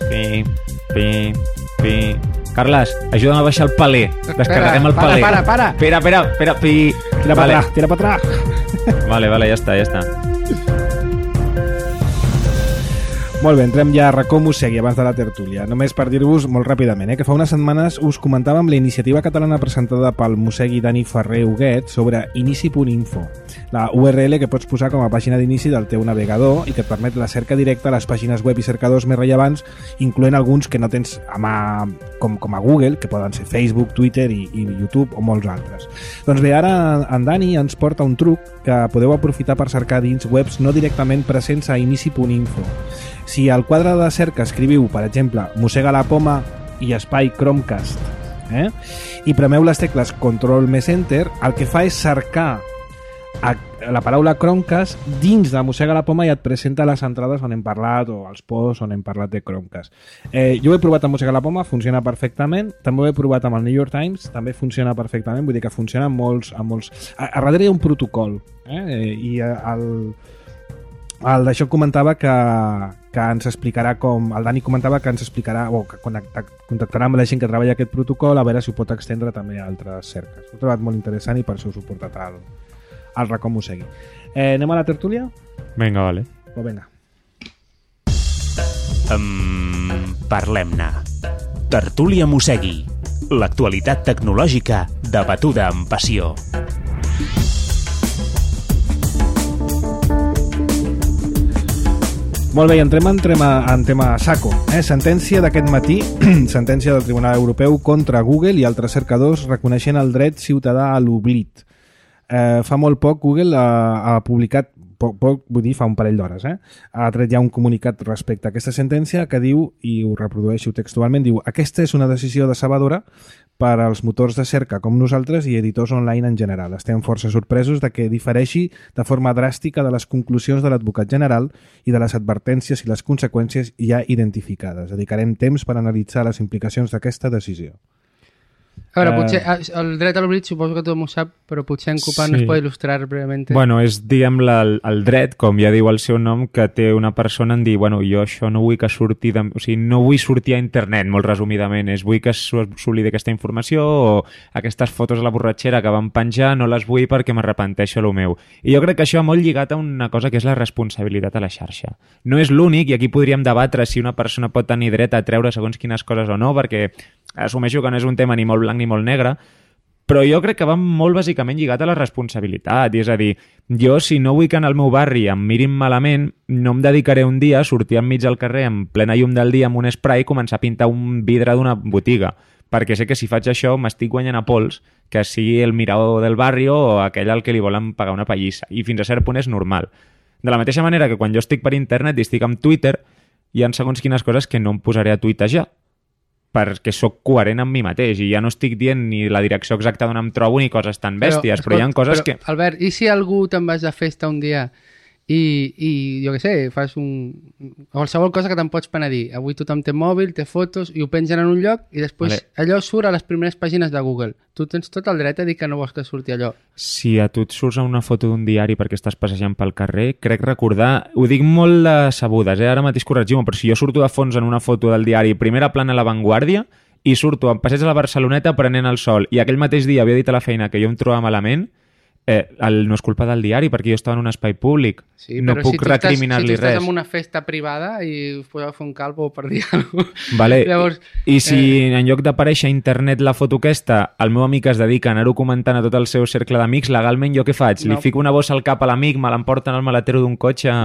Pi, pi, pi... Carles, ajuda'm a baixar el paler. Descarreguem el para, paler. para, para. Espera, espera, espera. Pi... Tira vale. para atrás, tira para atrás. Vale, vale, ja està, ja està. Molt bé, entrem ja a racó Mossegui abans de la tertúlia. Només per dir-vos molt ràpidament, eh, que fa unes setmanes us comentàvem la iniciativa catalana presentada pel Mossegui Dani Ferrer Huguet sobre inici punt info, la U R L que pots posar com a pàgina d'inici del teu navegador i que et permet la cerca directa a les pàgines web i cercadors més rellevants, incloent alguns que no tens a mà com, com a Google, que poden ser Facebook, Twitter i, i YouTube o molts altres. Doncs bé, ara en Dani ens porta un truc que podeu aprofitar per cercar dins webs no directament presents a inici punt info. Si al quadre de cerca escriviu, per exemple, Mossega la Poma i espai Chromecast, eh? i premeu les tecles Control més Enter, el que fa és cercar a la paraula Chromecast dins de Mossega la Poma i et presenta les entrades on hem parlat o els posts on hem parlat de Chromecast. Eh, jo ho he provat amb Mossega la Poma, funciona perfectament. També ho he provat amb el New York Times, també funciona perfectament, vull dir que funciona amb molts... Amb molts... A, a darrere hi ha un protocol, eh? i el... El d'això comentava que, que ens explicarà com... El Dani comentava que ens explicarà o que contactarà amb la gent que treballa aquest protocol a veure si ho pot extendre també a altres cerques. Ho he trobat molt interessant i per això us ho he portat al, al racó Mossegui. Eh, anem a la tertúlia? Vinga, vale. Pues vinga. Um, Parlem-ne. Tertúlia Mossegui. L'actualitat tecnològica debatuda amb passió. Molt bé, entrem en tema, en tema saco. Eh? Sentència d'aquest matí, sentència del Tribunal Europeu contra Google i altres cercadors reconeixent el dret ciutadà a l'oblit. Eh, fa molt poc Google ha, ha publicat, poc, poc, vull dir fa un parell d'hores, eh? ha tret ja un comunicat respecte a aquesta sentència que diu, i ho reprodueixo textualment, diu: aquesta és una decisió decebedora per als motors de cerca com nosaltres i editors online en general. Estem força sorpresos de que difereixi de forma dràstica de les conclusions de l'advocat general i de les advertències i les conseqüències ja identificades. Dedicarem temps per analitzar les implicacions d'aquesta decisió. A veure, Eh, potser el dret a l'oblit suposo que tothom ho sap, però potser en Copan Sí. nos pot il·lustrar breument. Bueno, és, diguem, la, el, el dret, com ja diu el seu nom, que té una persona en dir, bueno, jo això no vull que surti, de, o sigui, no vull sortir a internet, molt resumidament, és vull que s'oblidi aquesta informació o aquestes fotos de la borratxera que van penjar no les vull perquè m'arrepenteixo el meu. I jo crec que això va molt lligat a una cosa que és la responsabilitat a la xarxa. No és l'únic, i aquí podríem debatre si una persona pot tenir dret a treure segons quines coses o no, perquè assumeixo que no és un tema ni molt blanc ni molt negre, però jo crec que va molt bàsicament lligat a la responsabilitat, i és a dir, jo si no vull que en el meu barri em mirin malament, no em dedicaré un dia a sortir enmig del carrer en plena llum del dia amb un spray i començar a pintar un vidre d'una botiga, perquè sé que si faig això m'estic guanyant a pols que sigui el mirador del barri o aquell al que li volen pagar una pallissa, i fins a cert punt és normal. De la mateixa manera que quan jo estic per internet i estic amb Twitter, hi ha segons quines coses que no em posaré a tuitejar, perquè sóc coherent amb mi mateix i ja no estic dient ni la direcció exacta d'on em trobo ni coses tan bèsties, però, però hi ha coses però, que... Albert, i si algú te'n vas de festa un dia i, i jo què sé, fas un... qualsevol cosa que te'n pots penedir. Avui tothom té mòbil, té fotos i ho pengen en un lloc i després Vale. allò surt a les primeres pàgines de Google. Tu tens tot el dret a dir que no vols que surti allò. Si a tu et surts a una foto d'un diari perquè estàs passejant pel carrer, crec recordar... Ho dic molt de sabudes, eh? Ara mateix corregim-ho, però si jo surto de fons en una foto del diari primera plana a La Vanguardia i surto en passeig a la Barceloneta prenent el sol i aquell mateix dia havia dit a la feina que jo em trobava malament, eh, el, no és culpa del diari perquè jo estava en un espai públic. Sí, no però puc si tu estàs, recriminar-li si tu estàs res. en una festa privada i us podeu fer un calvo per dir alguna cosa. Vale. Llavors, I si eh, en lloc d'aparèixer a internet la foto aquesta, el meu amic es dedica a anar-ho comentant a tot el seu cercle d'amics, legalment jo què faig? No. Li fico una bossa al cap a l'amic, me l'emporten al maletero d'un cotxe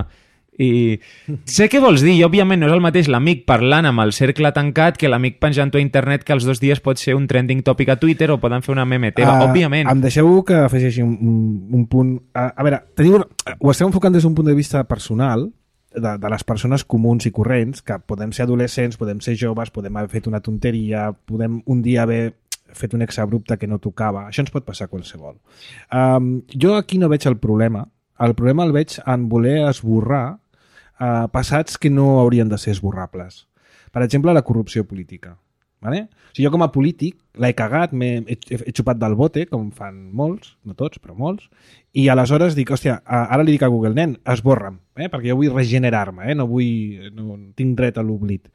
i... Sé què vols dir, i òbviament no és el mateix l'amic parlant amb el cercle tancat que l'amic penjant-ho a internet, que els dos dies pot ser un trending topic a Twitter o poden fer una meme teva, Uh, òbviament. Em deixeu que afegeixi un, un, un punt... Uh, a veure, teniu, ho estem enfocant des d'un punt de vista personal, de, de les persones comuns i corrents, que podem ser adolescents, podem ser joves, podem haver fet una tonteria, podem un dia haver fet un exabrupte que no tocava. Això ens pot passar a qualsevol. Um, jo aquí no veig el problema. El problema el veig en voler esborrar uh, passats que no haurien de ser esborrables. Per exemple, la corrupció política. Vale? O sigui, jo com a polític l'he cagat, he, he, he xupat del bote, com fan molts, no tots, però molts, i aleshores dic, hòstia, ara li dic a Google, nen, esborra'm, eh? perquè jo vull regenerar-me, eh? no vull, no tinc dret a l'oblit.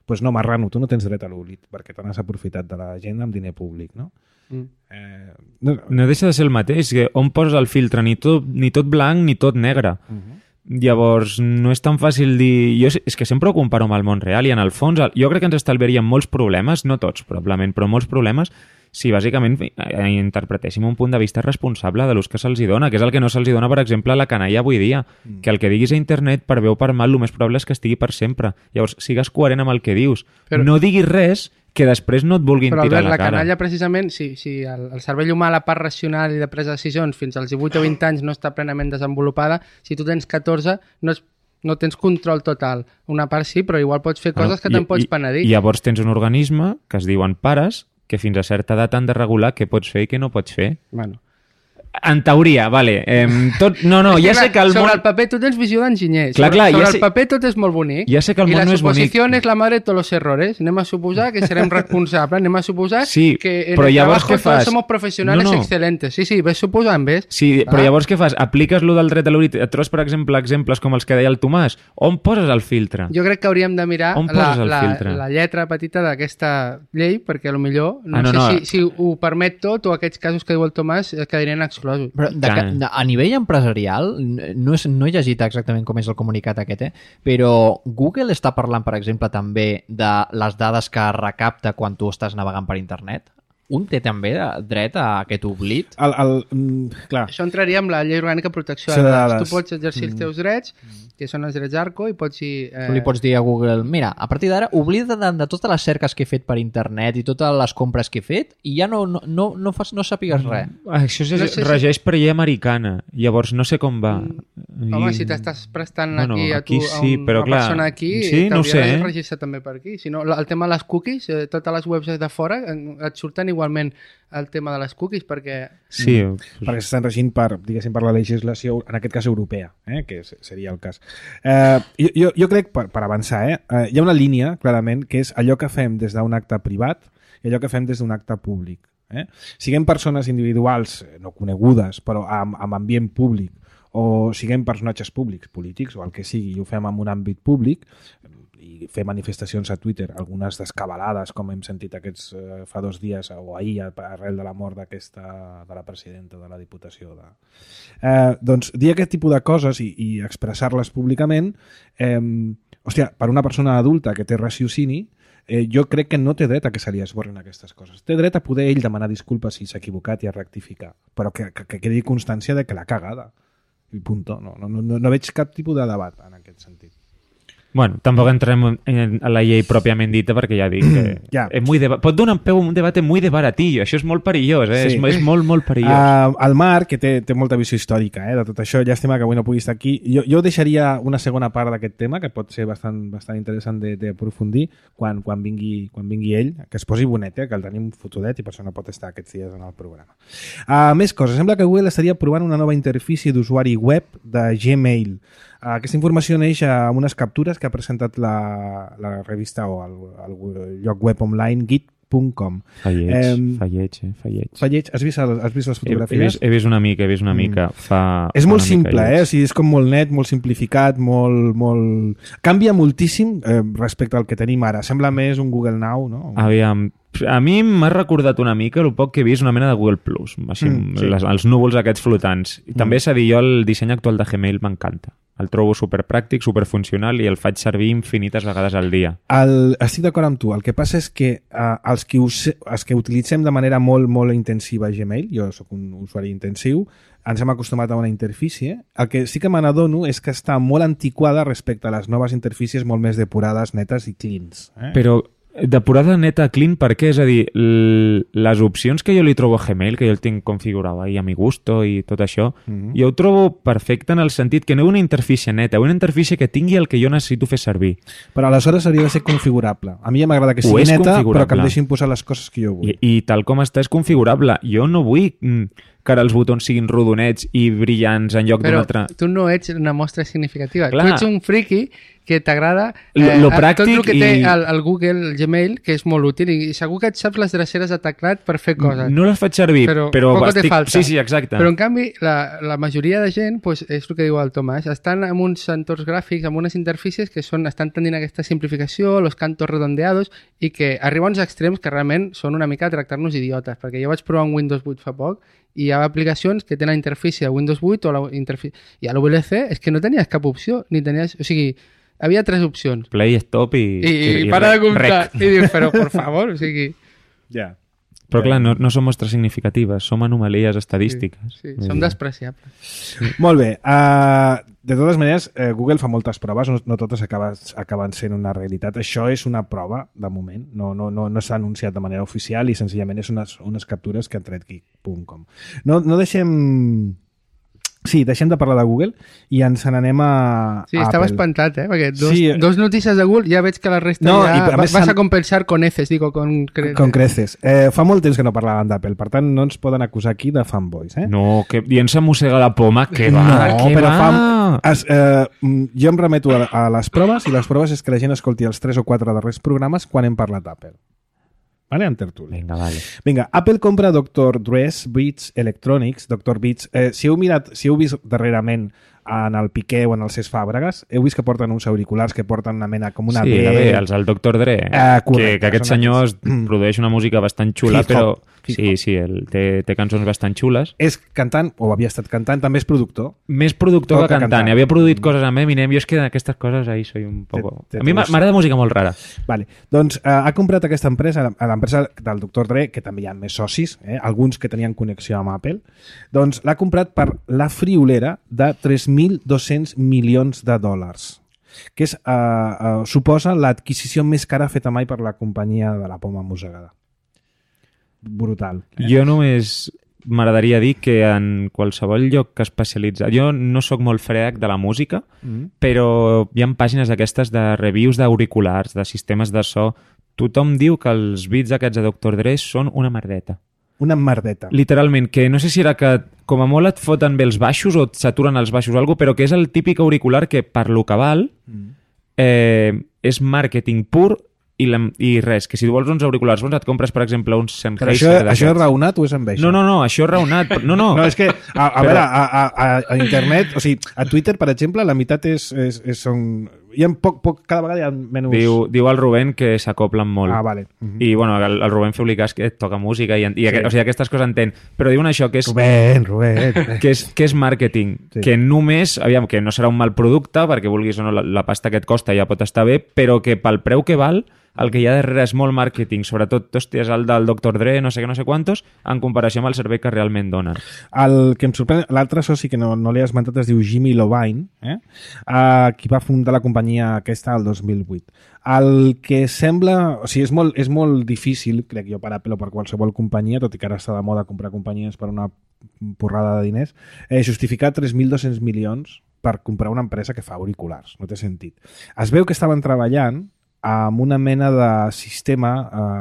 pues no, marrano, tu no tens dret a l'oblit, perquè te n'has aprofitat de la gent amb diner públic, no? Mm. Eh, no, No deixa de ser el mateix, que on poses el filtre, ni tot, ni tot blanc ni tot negre. uh -huh. Llavors, no és tan fàcil dir... Jo és que sempre ho comparo amb el món real i en el fons jo crec que ens estalviaríem molts problemes, no tots probablement, però molts problemes si bàsicament eh, interpretéssim un punt de vista responsable de l'ús que se'ls dona, que és el que no se'ls dona, per exemple, a la canalla avui dia, mm. que el que diguis a internet per bé o per mal, el més probable és que estigui per sempre. Llavors, sigues coherent amb el que dius. Però... no diguis res que després no et vulguin però, tirar Albert, a la cara. Però, la canalla, precisament, si, si el, el cervell humà, la part racional i de presa de decisions fins als divuit o vint anys no està plenament desenvolupada, si tu tens catorze, no és no tens control total. Una part sí, però igual pots fer coses que te'n pots penedir. I llavors tens un organisme que es diuen pares que fins a certa edat han de regular què pots fer i què no pots fer. Bueno. En teoria, vale. Eh, tot... No, no, ja clar, sé que el sobre món... el paper tu tens visió d'enginyer. Clar, sobre clar, sobre ja el sé... paper tot és molt bonic. Ja sé que el I món la no és bonic. suposició és la madre de tots los errores. Anem a suposar que serem responsables. Anem a suposar sí, que en però el llavors trabajo què fas? todos somos profesionales no, no. excelentes. Sí, sí, ves suposant, ves? Sí, ah. però llavors què fas? Apliques lo del dret a l'oblit? Et trobes, per exemple, exemples com els que deia el Tomàs? On poses el filtre? Jo crec que hauríem de mirar On la, poses el la, filtre? la lletra petita d'aquesta llei, perquè potser no, ah, no sé no. Si, si ho permet tot o aquests casos que diu el Tomàs quedarien exclosos. Però de, de, a nivell empresarial, no, és, no he llegit exactament com és el comunicat aquest, eh? Però Google està parlant, per exemple, també de les dades que recapta quan tu estàs navegant per internet? Un té també dret a aquest oblit? El, el, mm, clar. Això entraria amb la llei orgànica de protecció de dades. Tu pots exercir els teus drets, que són els drets ARCO, i pots dir... Eh... Tu li pots dir a Google, mira, a partir d'ara oblida de, de totes les cerques que he fet per internet i totes les compres que he fet i ja no, no, no, no, fas, no sàpigues res. Això és, no sé regeix si... per llei americana, llavors no sé com va. Mm. Home, si t'estàs prestant bueno, aquí a tu, aquí sí, a un, però, una clar, persona aquí, sí, no sé, de eh? regir-se també per aquí. Si no, el tema de les cookies, eh, totes les webs de fora et surten igualment el tema de les cookies, perquè... Sí, mm, perquè s'estan regint per, diguéssim, per la legislació, en aquest cas europea, eh, que seria el cas. Eh, jo, jo crec, per, per avançar, eh, eh, hi ha una línia, clarament, que és allò que fem des d'un acte privat i allò que fem des d'un acte públic. Eh? Siguem persones individuals, no conegudes, però amb, amb ambient públic, o siguem personatges públics, polítics, o el que sigui, i ho fem en un àmbit públic, i fer manifestacions a Twitter, algunes descabalades, com hem sentit aquests eh, fa dos dies o ahir arrel de la mort d'aquesta de la presidenta de la Diputació de... Eh, doncs dir aquest tipus de coses i, i expressar-les públicament, eh, hòstia, per una persona adulta que té raciocini, eh, jo crec que no té dret a que se li esborrin aquestes coses. Té dret a poder ell demanar disculpes si s'ha equivocat i a rectificar, però que, que, que quedi constància de que l'ha cagada. I punto. No, no, no, no veig cap tipus de debat en aquest sentit. Bueno, tampoc entrem en la llei pròpiament dita perquè ja dic que ja. és muy deba- pot donar peu a un debat muy de baratillo, això és molt perillós, eh? Sí. és, és molt, molt perillós. Uh, el Marc, que té, té molta visió històrica eh, de tot això, llàstima que avui no pugui estar aquí, jo, jo deixaria una segona part d'aquest tema, que pot ser bastant, bastant interessant d'aprofundir quan, quan, vingui, quan vingui ell, que es posi bonet, eh, que el tenim fotudet i per això no pot estar aquests dies en el programa. Uh, més coses, sembla que Google estaria provant una nova interfície d'usuari web de Gmail. Uh, aquesta informació neix amb unes captures que ha presentat la, la revista o el, el lloc web online git punt com. Fa lleig, eh, fa lleig, eh? Fa lleig. Fa lleig. Has vist, has vist les fotografies? He, he, vist, he vist una mica, he vist una mica. Mm. Fa, és fa molt simple, lleig. eh? O sigui, és com molt net, molt simplificat, molt... molt... Canvia moltíssim eh, respecte al que tenim ara. Sembla més un Google Now, no? Aviam, a mi m'ha recordat una mica el poc que he vist una mena de Google Plus, així, mm, sí. les, els núvols aquests flotants. I mm. també s'ha dit, jo el disseny actual de Gmail m'encanta. El trobo superpràctic, superfuncional i el faig servir infinites vegades al dia. El, estic d'acord amb tu. El que passa és que eh, els, que us, els que utilitzem de manera molt, molt intensiva Gmail, jo sóc un usuari intensiu, ens hem acostumat a una interfície. El que sí que me n'adono és que està molt antiquada respecte a les noves interfícies molt més depurades, netes i cleans. Eh? Però depurada neta clean, per què? És a dir, les opcions que jo li trobo a Gmail, que jo el tinc configurat ahí a mi gusto i tot això, mm-hmm. jo ho trobo perfecte en el sentit que no és una interfície neta, una interfície que tingui el que jo necessito fer servir. Però aleshores hauria de ser configurable. A mi ja m'agrada que sigui neta, però que em deixin posar les coses que jo vull. I, i tal com està és configurable. Jo no vull mm, que ara els botons siguin rodonets i brillants en lloc d'un altre. Però tu no ets una mostra significativa. Clar. Tu ets un friki que t'agrada Lo- lo eh, pràctic tot el que té i- el, el Google, el Gmail, que és molt útil, i segur que et saps les dreceres de teclat per fer coses. No les faig servir, però, Però però poco te estic... falta. Sí, sí, exacte. Però en canvi, la, la majoria de gent, pues, és el que diu el Tomàs, estan amb uns entorns gràfics, amb unes interfícies que són, estan tendint a aquesta simplificació, los cantos redondeados, i que arriba a uns extrems que realment són una mica a tractar-nos idiotes, perquè jo vaig provar un Windows vuit fa poc i hi ha aplicacions que tenen interfície de Windows vuit o la interfície... I a l'U L C és que no tenies cap opció, ni tenies... O sigui, havia tres opcions. Play, stop i... I, i, i para de rec. comptar. I dius, però, por favor, o sigui... Ja. Però clar, no, no som mostres significatives, som anomalies estadístiques. Sí, Vull som dir. despreciables. Molt bé. Uh, de totes maneres, uh, Google fa moltes proves, no, no totes acaben, acaben sent una realitat. Això és una prova, de moment. No, no, no, no s'ha anunciat de manera oficial i senzillament és unes, unes captures que han tret geek punt com. No, no deixem... Sí, deixem de parlar de Google i ens n'anem a, Sí, a estava Apple. espantat, eh? Perquè dos, Sí, sí, eh. dos notícies de Google ja veig que la resta No, i ja a va, més vas s'han- a compensar con heces, digo, con... cre- Con creces. Eh, fa molt temps que no parlàvem d'Apple, per tant no ens poden acusar aquí de fanboys. Eh? No, que dient se mossega la poma, que va, no, que però va. fa... Es, eh, mm, jo em remeto a, a les proves i les proves és que la gent escolti els tres o quatre darrers programes quan hem parlat d'Apple. Vale? En tertúlia. Vinga, vale. Vinga, Apple compra doctor Dre's Beats Electronics, doctor Beats. Eh, si heu mirat, si heu vist darrerament en el Piqué o en el Cesc Fàbregas, heu vist que porten uns auriculars que porten una mena com una Sí, B. bé, els del doctor Dre, Ah, correcte, que, que aquest són senyor aquests. es produeix una música bastant xula, Hip-hop, però hip-hop. sí, sí, el, té, té cançons bastant xules. És cantant, o havia estat cantant, també és productor. Més productor Tot que que cantant. cantant. Havia produït coses amb Eminem, jo és que d'aquestes coses ahí soy un poco... Te- te- A mi te- m'agrada música molt rara. Vale. Doncs eh, ha comprat aquesta empresa, a l'empresa del doctor Dre, que també hi ha més socis, eh, alguns que tenien connexió amb Apple, doncs l'ha comprat per la friolera de tres mil dos-cents milions de dòlars, que és, eh, eh, suposa l'adquisició més cara feta mai per la companyia de la poma mossegada. Brutal. Eh? Jo només m'agradaria dir que en qualsevol lloc que especialitza... Jo no sóc molt frec de la música, Mm. però hi ha pàgines aquestes de reviews d'auriculars, de sistemes de so. Tothom diu que els beats aquests de doctor Dre són una merdeta. Una merdeta. Literalment, que no sé si era que com a molt et foten bé els baixos o et saturen els baixos o alguna cosa, però que és el típic auricular que per lo que val Mm. eh, és màrqueting pur i, la, i res, que si tu vols uns auriculars bons et compres, per exemple, uns Però Sennheiser això, d'aquests. això és raonat o és enveja? No, no, no, això és raonat. però- No, no. No, és que, a, a Però- veure, a, a, a, a internet, o sigui, a Twitter, per exemple, la meitat és, és, és són... Hi ha poc, poc, cada vegada hi ha menys... Diu, diu el Rubén que s'acoplen molt. Ah, vale. Uh -huh. I, bueno, el, el Rubén feu-li cas que toca música i, i Sí. sí. o sigui, aquestes coses entén. Però diuen això, que és, Rubén, Rubén. que és, que és màrqueting. Sí. Que només, aviam, que no serà un mal producte, perquè vulguis o no, la, la pasta que et costa ja pot estar bé, però que pel preu que val, el que hi ha darrere és molt màrqueting. Sobretot, hòstia, és el del doctor Dre, no sé què, no sé quantos, en comparació amb el servei que realment donen. El que em sorprèn, l'altre soci que no, no l'he esmentat es diu Jimmy Iovine, eh? uh, qui va fundar la companyia aquesta el dos mil vuit. El que sembla... O sigui, és molt, és molt difícil, crec jo, per Apple o per qualsevol companyia, tot i que ara està de moda comprar companyies per una porrada de diners, eh, justificar tres mil dos-cents milions per comprar una empresa que fa auriculars. No té sentit. Es veu que estaven treballant amb una mena de sistema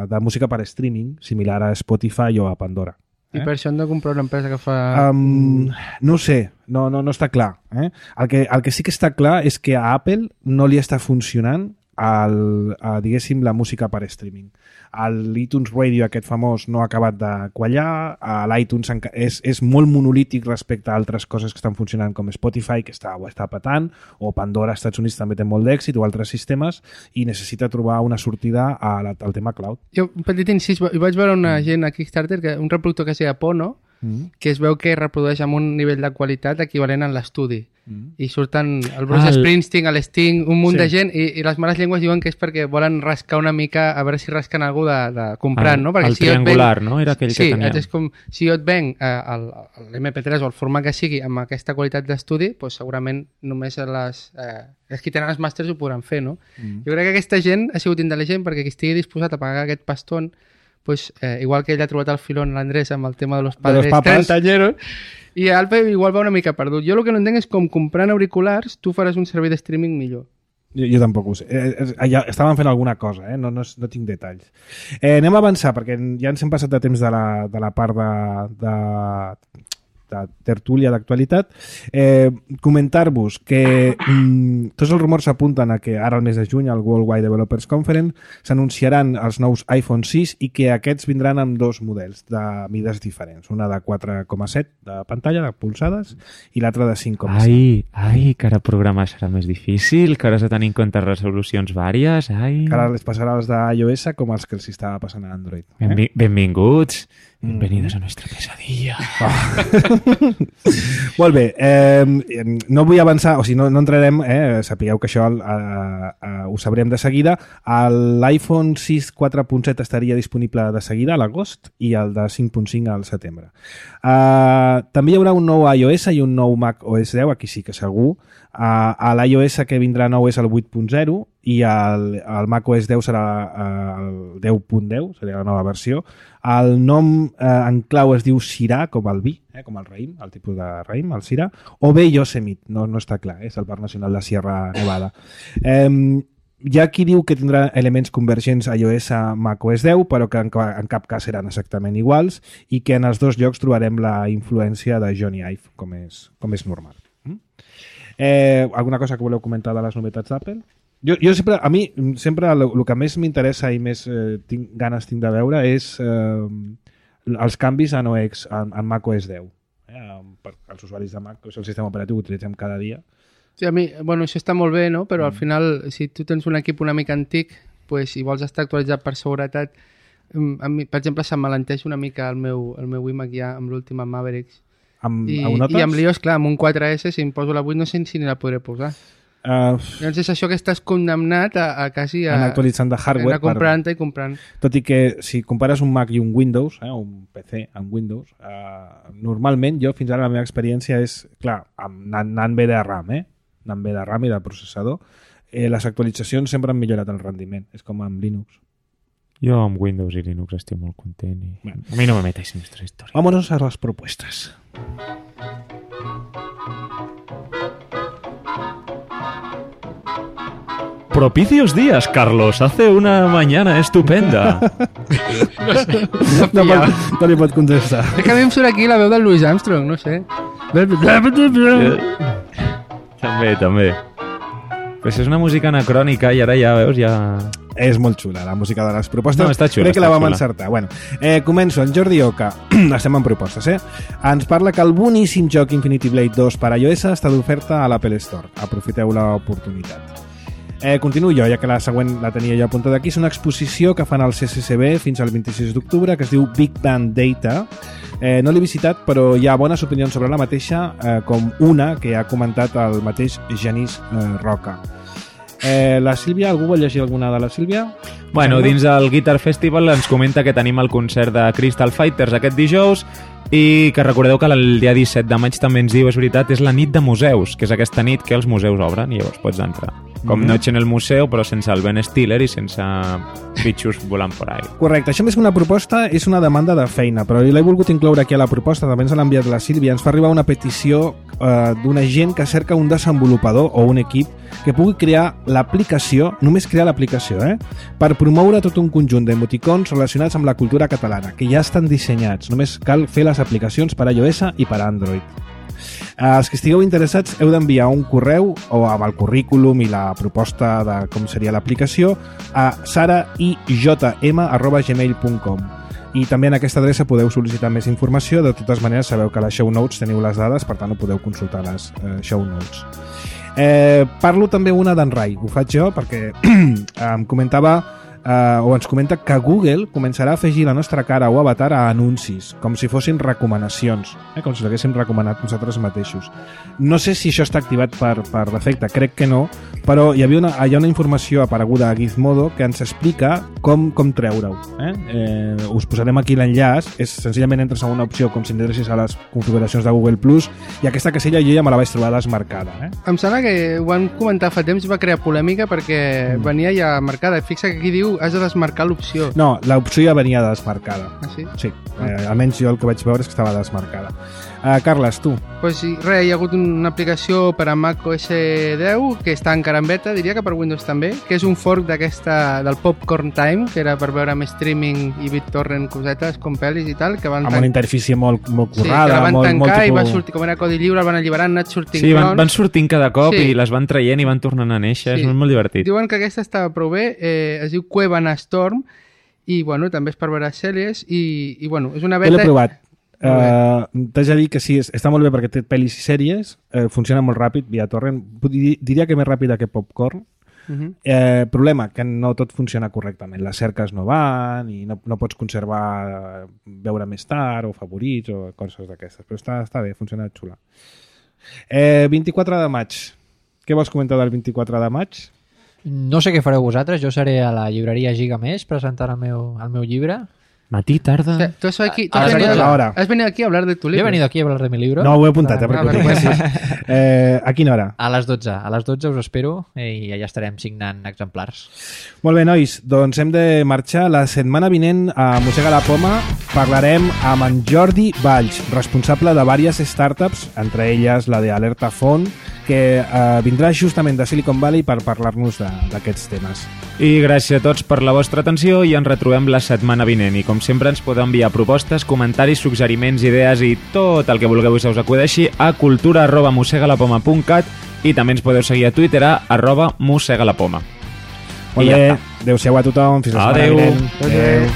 uh, de música per streaming, similar a Spotify o a Pandora. I Eh? per això hem de comprar una empresa que fa... Um, no ho sé, no, no, no està clar. Eh? El, que, el que sí que està clar és que a Apple no li està funcionant el, a, diguéssim, la música per streaming. L'iTunes Radio, aquest famós, no ha acabat de quallar, l'iTunes és, és molt monolític respecte a altres coses que estan funcionant com Spotify, que està, ho està patant, o Pandora als Estats Units també té molt d'èxit, o altres sistemes, i necessita trobar una sortida a la, al tema cloud. Jo, un petit incís, hi vaig veure una gent a Kickstarter, que, un reproductor que es deia Pono, Mm. que es veu que reprodueix amb un nivell de qualitat equivalent a l'estudi. Mm. I surten el Bruce Ah, el- Springsteen, el Sting, un munt Sí. de gent, i, i les males llengües diuen que és perquè volen rascar una mica, a veure si rasquen algú de, de comprant, el, no? Perquè el si jo et triangular, venc- no? Era aquell sí, que tenia. és com, si jo et venc eh, l'M P tres o el format que sigui amb aquesta qualitat d'estudi, doncs segurament només les, eh, els que tenen els màsters ho podran fer, no? Mm. Jo crec que aquesta gent ha sigut intel·ligent perquè qui estigui disposat a pagar aquest pastón, pues, eh, igual que ell ha trobat el filón l'Andrés amb el tema de los padres los papas. trentañeros, i Alpe igual va una mica perdut. Jo el que no entenc és com comprant auriculars tu faràs un servei de streaming millor. Jo, jo tampoc ho sé. Eh, eh, ja estaven fent alguna cosa, eh? no, no, no tinc detalls. Eh, anem a avançar, perquè ja ens hem passat de temps de la, de la part de, de, de tertúlia d'actualitat. Eh, comentar-vos que mm, tots els rumors s'apunten a que ara al mes de juny al Worldwide Developers Conference s'anunciaran els nous iPhone sis i que aquests vindran amb dos models de mides diferents, una de quatre coma set de pantalla, de polzades, i l'altra de cinc coma set. Ai, ai, que ara programar serà més difícil, que ara has de tenir en compte resolucions vàries, ai... Que ara les passarà als d'iOS com els que els estava passant a Android. Eh? Benvi benvinguts, bienvenidos mm. a nuestra pesadilla. Oh. Molt bé, eh, no vull avançar, o sigui, no, no entrarem, eh, sapigueu que això eh, eh, ho sabrem de seguida. L'iPhone sis quatre punt set estaria disponible de seguida a l'agost i el de cinc punt cinc al setembre. Eh, també hi haurà un nou iOS i un nou Mac O S deu, aquí sí que segur. Uh, a l'iOS que vindrà nou és el vuit punt zero i el, el Mac O S deu serà uh, el deu punt deu, seria la nova versió. El nom uh, en clau es diu Syrah, com el vi, eh, com el raïm, el tipus de raïm, el Syrah, o bé Yosemite, no, no està clar, eh, és el Parc Nacional de Sierra Nevada. Um, hi ha qui diu que tindrà elements convergents a iOS a Mac O S deu, però que en, en cap cas seran exactament iguals i que en els dos llocs trobarem la influència de Jony Ive, com és, com és normal. Mm? Eh, alguna cosa que voleu comentar de les novetats d'Apple? Jo, jo sempre, a mi, sempre el, el que més m'interessa i més eh, tinc, ganes tinc de veure és eh, els canvis en O X, en, en Mac O S deu. Eh, per als usuaris de Mac, que és el sistema operatiu que utilitzem cada dia. Sí, a mi, bueno, això està molt bé, no? Però mm. al final, si tu tens un equip una mica antic, pues, i vols estar actualitzat per seguretat, a mi, per exemple, se'm malenteix una mica el meu, el meu iMac ja amb l'última Mavericks. Amb, I, amb i amb l'iOS, clar, amb un quatre esse, si em poso la vuit no sé si ni la podré posar. Uh, Llavors és això que estàs condemnat a, a quasi a... Anar actualitzant de hardware. Anar comprant-te i comprant. Tot i que si compares un Mac i un Windows, eh, un P C amb Windows, uh, normalment jo fins ara la meva experiència és, clar, anant, anant bé de RAM, eh? Anant bé de RAM i de processador, eh, les actualitzacions sempre han millorat el rendiment. És com amb Linux. Jo amb Windows i Linux estic molt content i bueno, a mi no me metáis en nuestra historia. Vámonos a las propuestas. Propicios días, Carlos. Hace una mañana estupenda. no sé, no, no, pot, no li pot contestar. És que a mi em surt aquí la veu del Louis Armstrong, no sé. també, també. Pues és una música anacrònica i ara ja veus, ja... És molt xula, la música de les propostes. No, està xula, Crec que està la vam xula. encertar. Bueno, eh, començo. En Jordi Oca, estem en propostes, eh? Ens parla que el boníssim joc Infinity Blade dos per a iOS està d'oferta a l'Apple Store. Aprofiteu l'oportunitat. Eh, continuo jo, ja que la següent la tenia jo apuntada aquí. És una exposició que fan al C C C B fins al vint-i-sis d'octubre, que es diu Big Bang Data. Eh, no l'he visitat, però hi ha bones opinions sobre la mateixa, eh, com una que ha comentat el mateix Genís eh, Roca. Eh, la Sílvia, algú vol llegir alguna de la Sílvia? Bueno, dins del Guitar Festival ens comenta que tenim el concert de Crystal Fighters aquest dijous i que recordeu que el dia disset de maig també ens diu, és veritat, és la nit de museus, que és aquesta nit que els museus obren i llavors pots entrar. Com mm-hmm. Noche en el museu, però sense el Ben Stiller i sense bitxos volant por ahí. Correcte, això més que una proposta és una demanda de feina, però l'he volgut incloure aquí a la proposta, també ens l'ha enviat la Sílvia. Ens fa arribar una petició eh, d'una gent que cerca un desenvolupador o un equip que pugui crear l'aplicació, només crear l'aplicació, eh? per promoure tot un conjunt d'emoticons relacionats amb la cultura catalana, que ja estan dissenyats, només cal fer les aplicacions per a iOS i per a Android. Els que estigueu interessats heu d'enviar un correu o amb el currículum i la proposta de com seria l'aplicació a sara i j m arroba gmail punt com i també en aquesta adreça podeu sol·licitar més informació. De totes maneres sabeu que a les show notes teniu les dades, per tant ho podeu consultar a les eh, show notes. Eh, parlo també una d'en Rai, ho faig jo perquè em comentava Uh, o ens comenta que Google començarà a afegir la nostra cara o avatar a anuncis, com si fossin recomanacions, eh? com si l'haguéssim recomanat nosaltres mateixos. No sé si això està activat per, per defecte, crec que no, però hi havia una, hi ha una informació apareguda a Gizmodo que ens explica com, com treure-ho. Eh? Eh, us posarem aquí l'enllaç, és senzillament entres a una opció com si entressis a les configuracions de Google Plus, i aquesta casella jo ja me la vaig trobar desmarcada. Eh? Em sembla que ho van comentar fa temps i va crear polèmica perquè mm. venia ja marcada. Fixa que aquí diu has de desmarcar l'opció. No, l'opció ja venia desmarcada. Ah, sí? Sí, eh, almenys jo el que vaig veure és que estava desmarcada. Uh, Carles, tu. Pues sí, res, hi ha hagut una aplicació per a Mac O S deu que està encara en beta, diria que per Windows també, que és un fork d'aquesta del Popcorn Time, que era per veure amb streaming i BitTorrent cosetes com pel·lis i tal, que van... Amb una interfície molt, molt sí, currada, que la van molt, tancar molt i tipus... va sortir, com era codi lliure, el van alliberar, han anat sortint Sí, van, clons. van sortint cada cop Sí. i les van traient i van tornant a néixer, Sí. és molt divertit. Diuen que aquesta estava prou bé, eh, es diu Cuevana Storm, i bueno, també és per veure sèries, i, i bueno, és una Jo beta... l'he provat. Uh, T'haig de dir que sí, està molt bé perquè té pel·lis i sèries, uh, funciona molt ràpid via torrent, diria que més ràpida que Popcorn. Uh -huh. eh, problema, que no tot funciona correctament, les cerques no van i no, no pots conservar veure més tard o favorits o coses d'aquestes, però està, està bé, funciona xula. eh, vint-i-quatre de maig, què vols comentar del vint-i-quatre de maig? No sé què fareu vosaltres, jo seré a la llibreria Giga Més presentant el meu, el meu llibre. Matí, tarda... O sea, tú has, aquí, tú A has, las venido, doce. Ahora. has venido aquí a hablar de tu Jo libro. he venido aquí a hablar de mi libro. No, ho he apuntat, eh, Ah, perquè ho vergüenza. tinguessis. Eh, a quina hora? A les dotze. A les dotze us espero i allà estarem signant exemplars. Molt bé, nois, doncs hem de marxar. La setmana vinent a Mossega la Poma parlarem amb en Jordi Valls, responsable de diverses startups, entre elles la de Alerta Font, que eh, vindrà justament de Silicon Valley per parlar-nos d'aquests temes. I gràcies a tots per la vostra atenció i ens retrobem la setmana vinent. I com sempre ens podeu enviar propostes, comentaris, suggeriments, idees i tot el que vulgueu i se us acudeixi a cultura arroba mossegalapoma punt cat i també ens podeu seguir a Twitter a arroba mossegalapoma. Molt I ja bé, està. adeu-siau a tothom, fins la setmana Adeu. vinent. Adeu.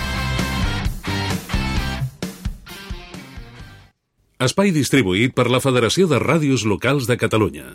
Espai distribuït per la Federació de Ràdios Locals de Catalunya.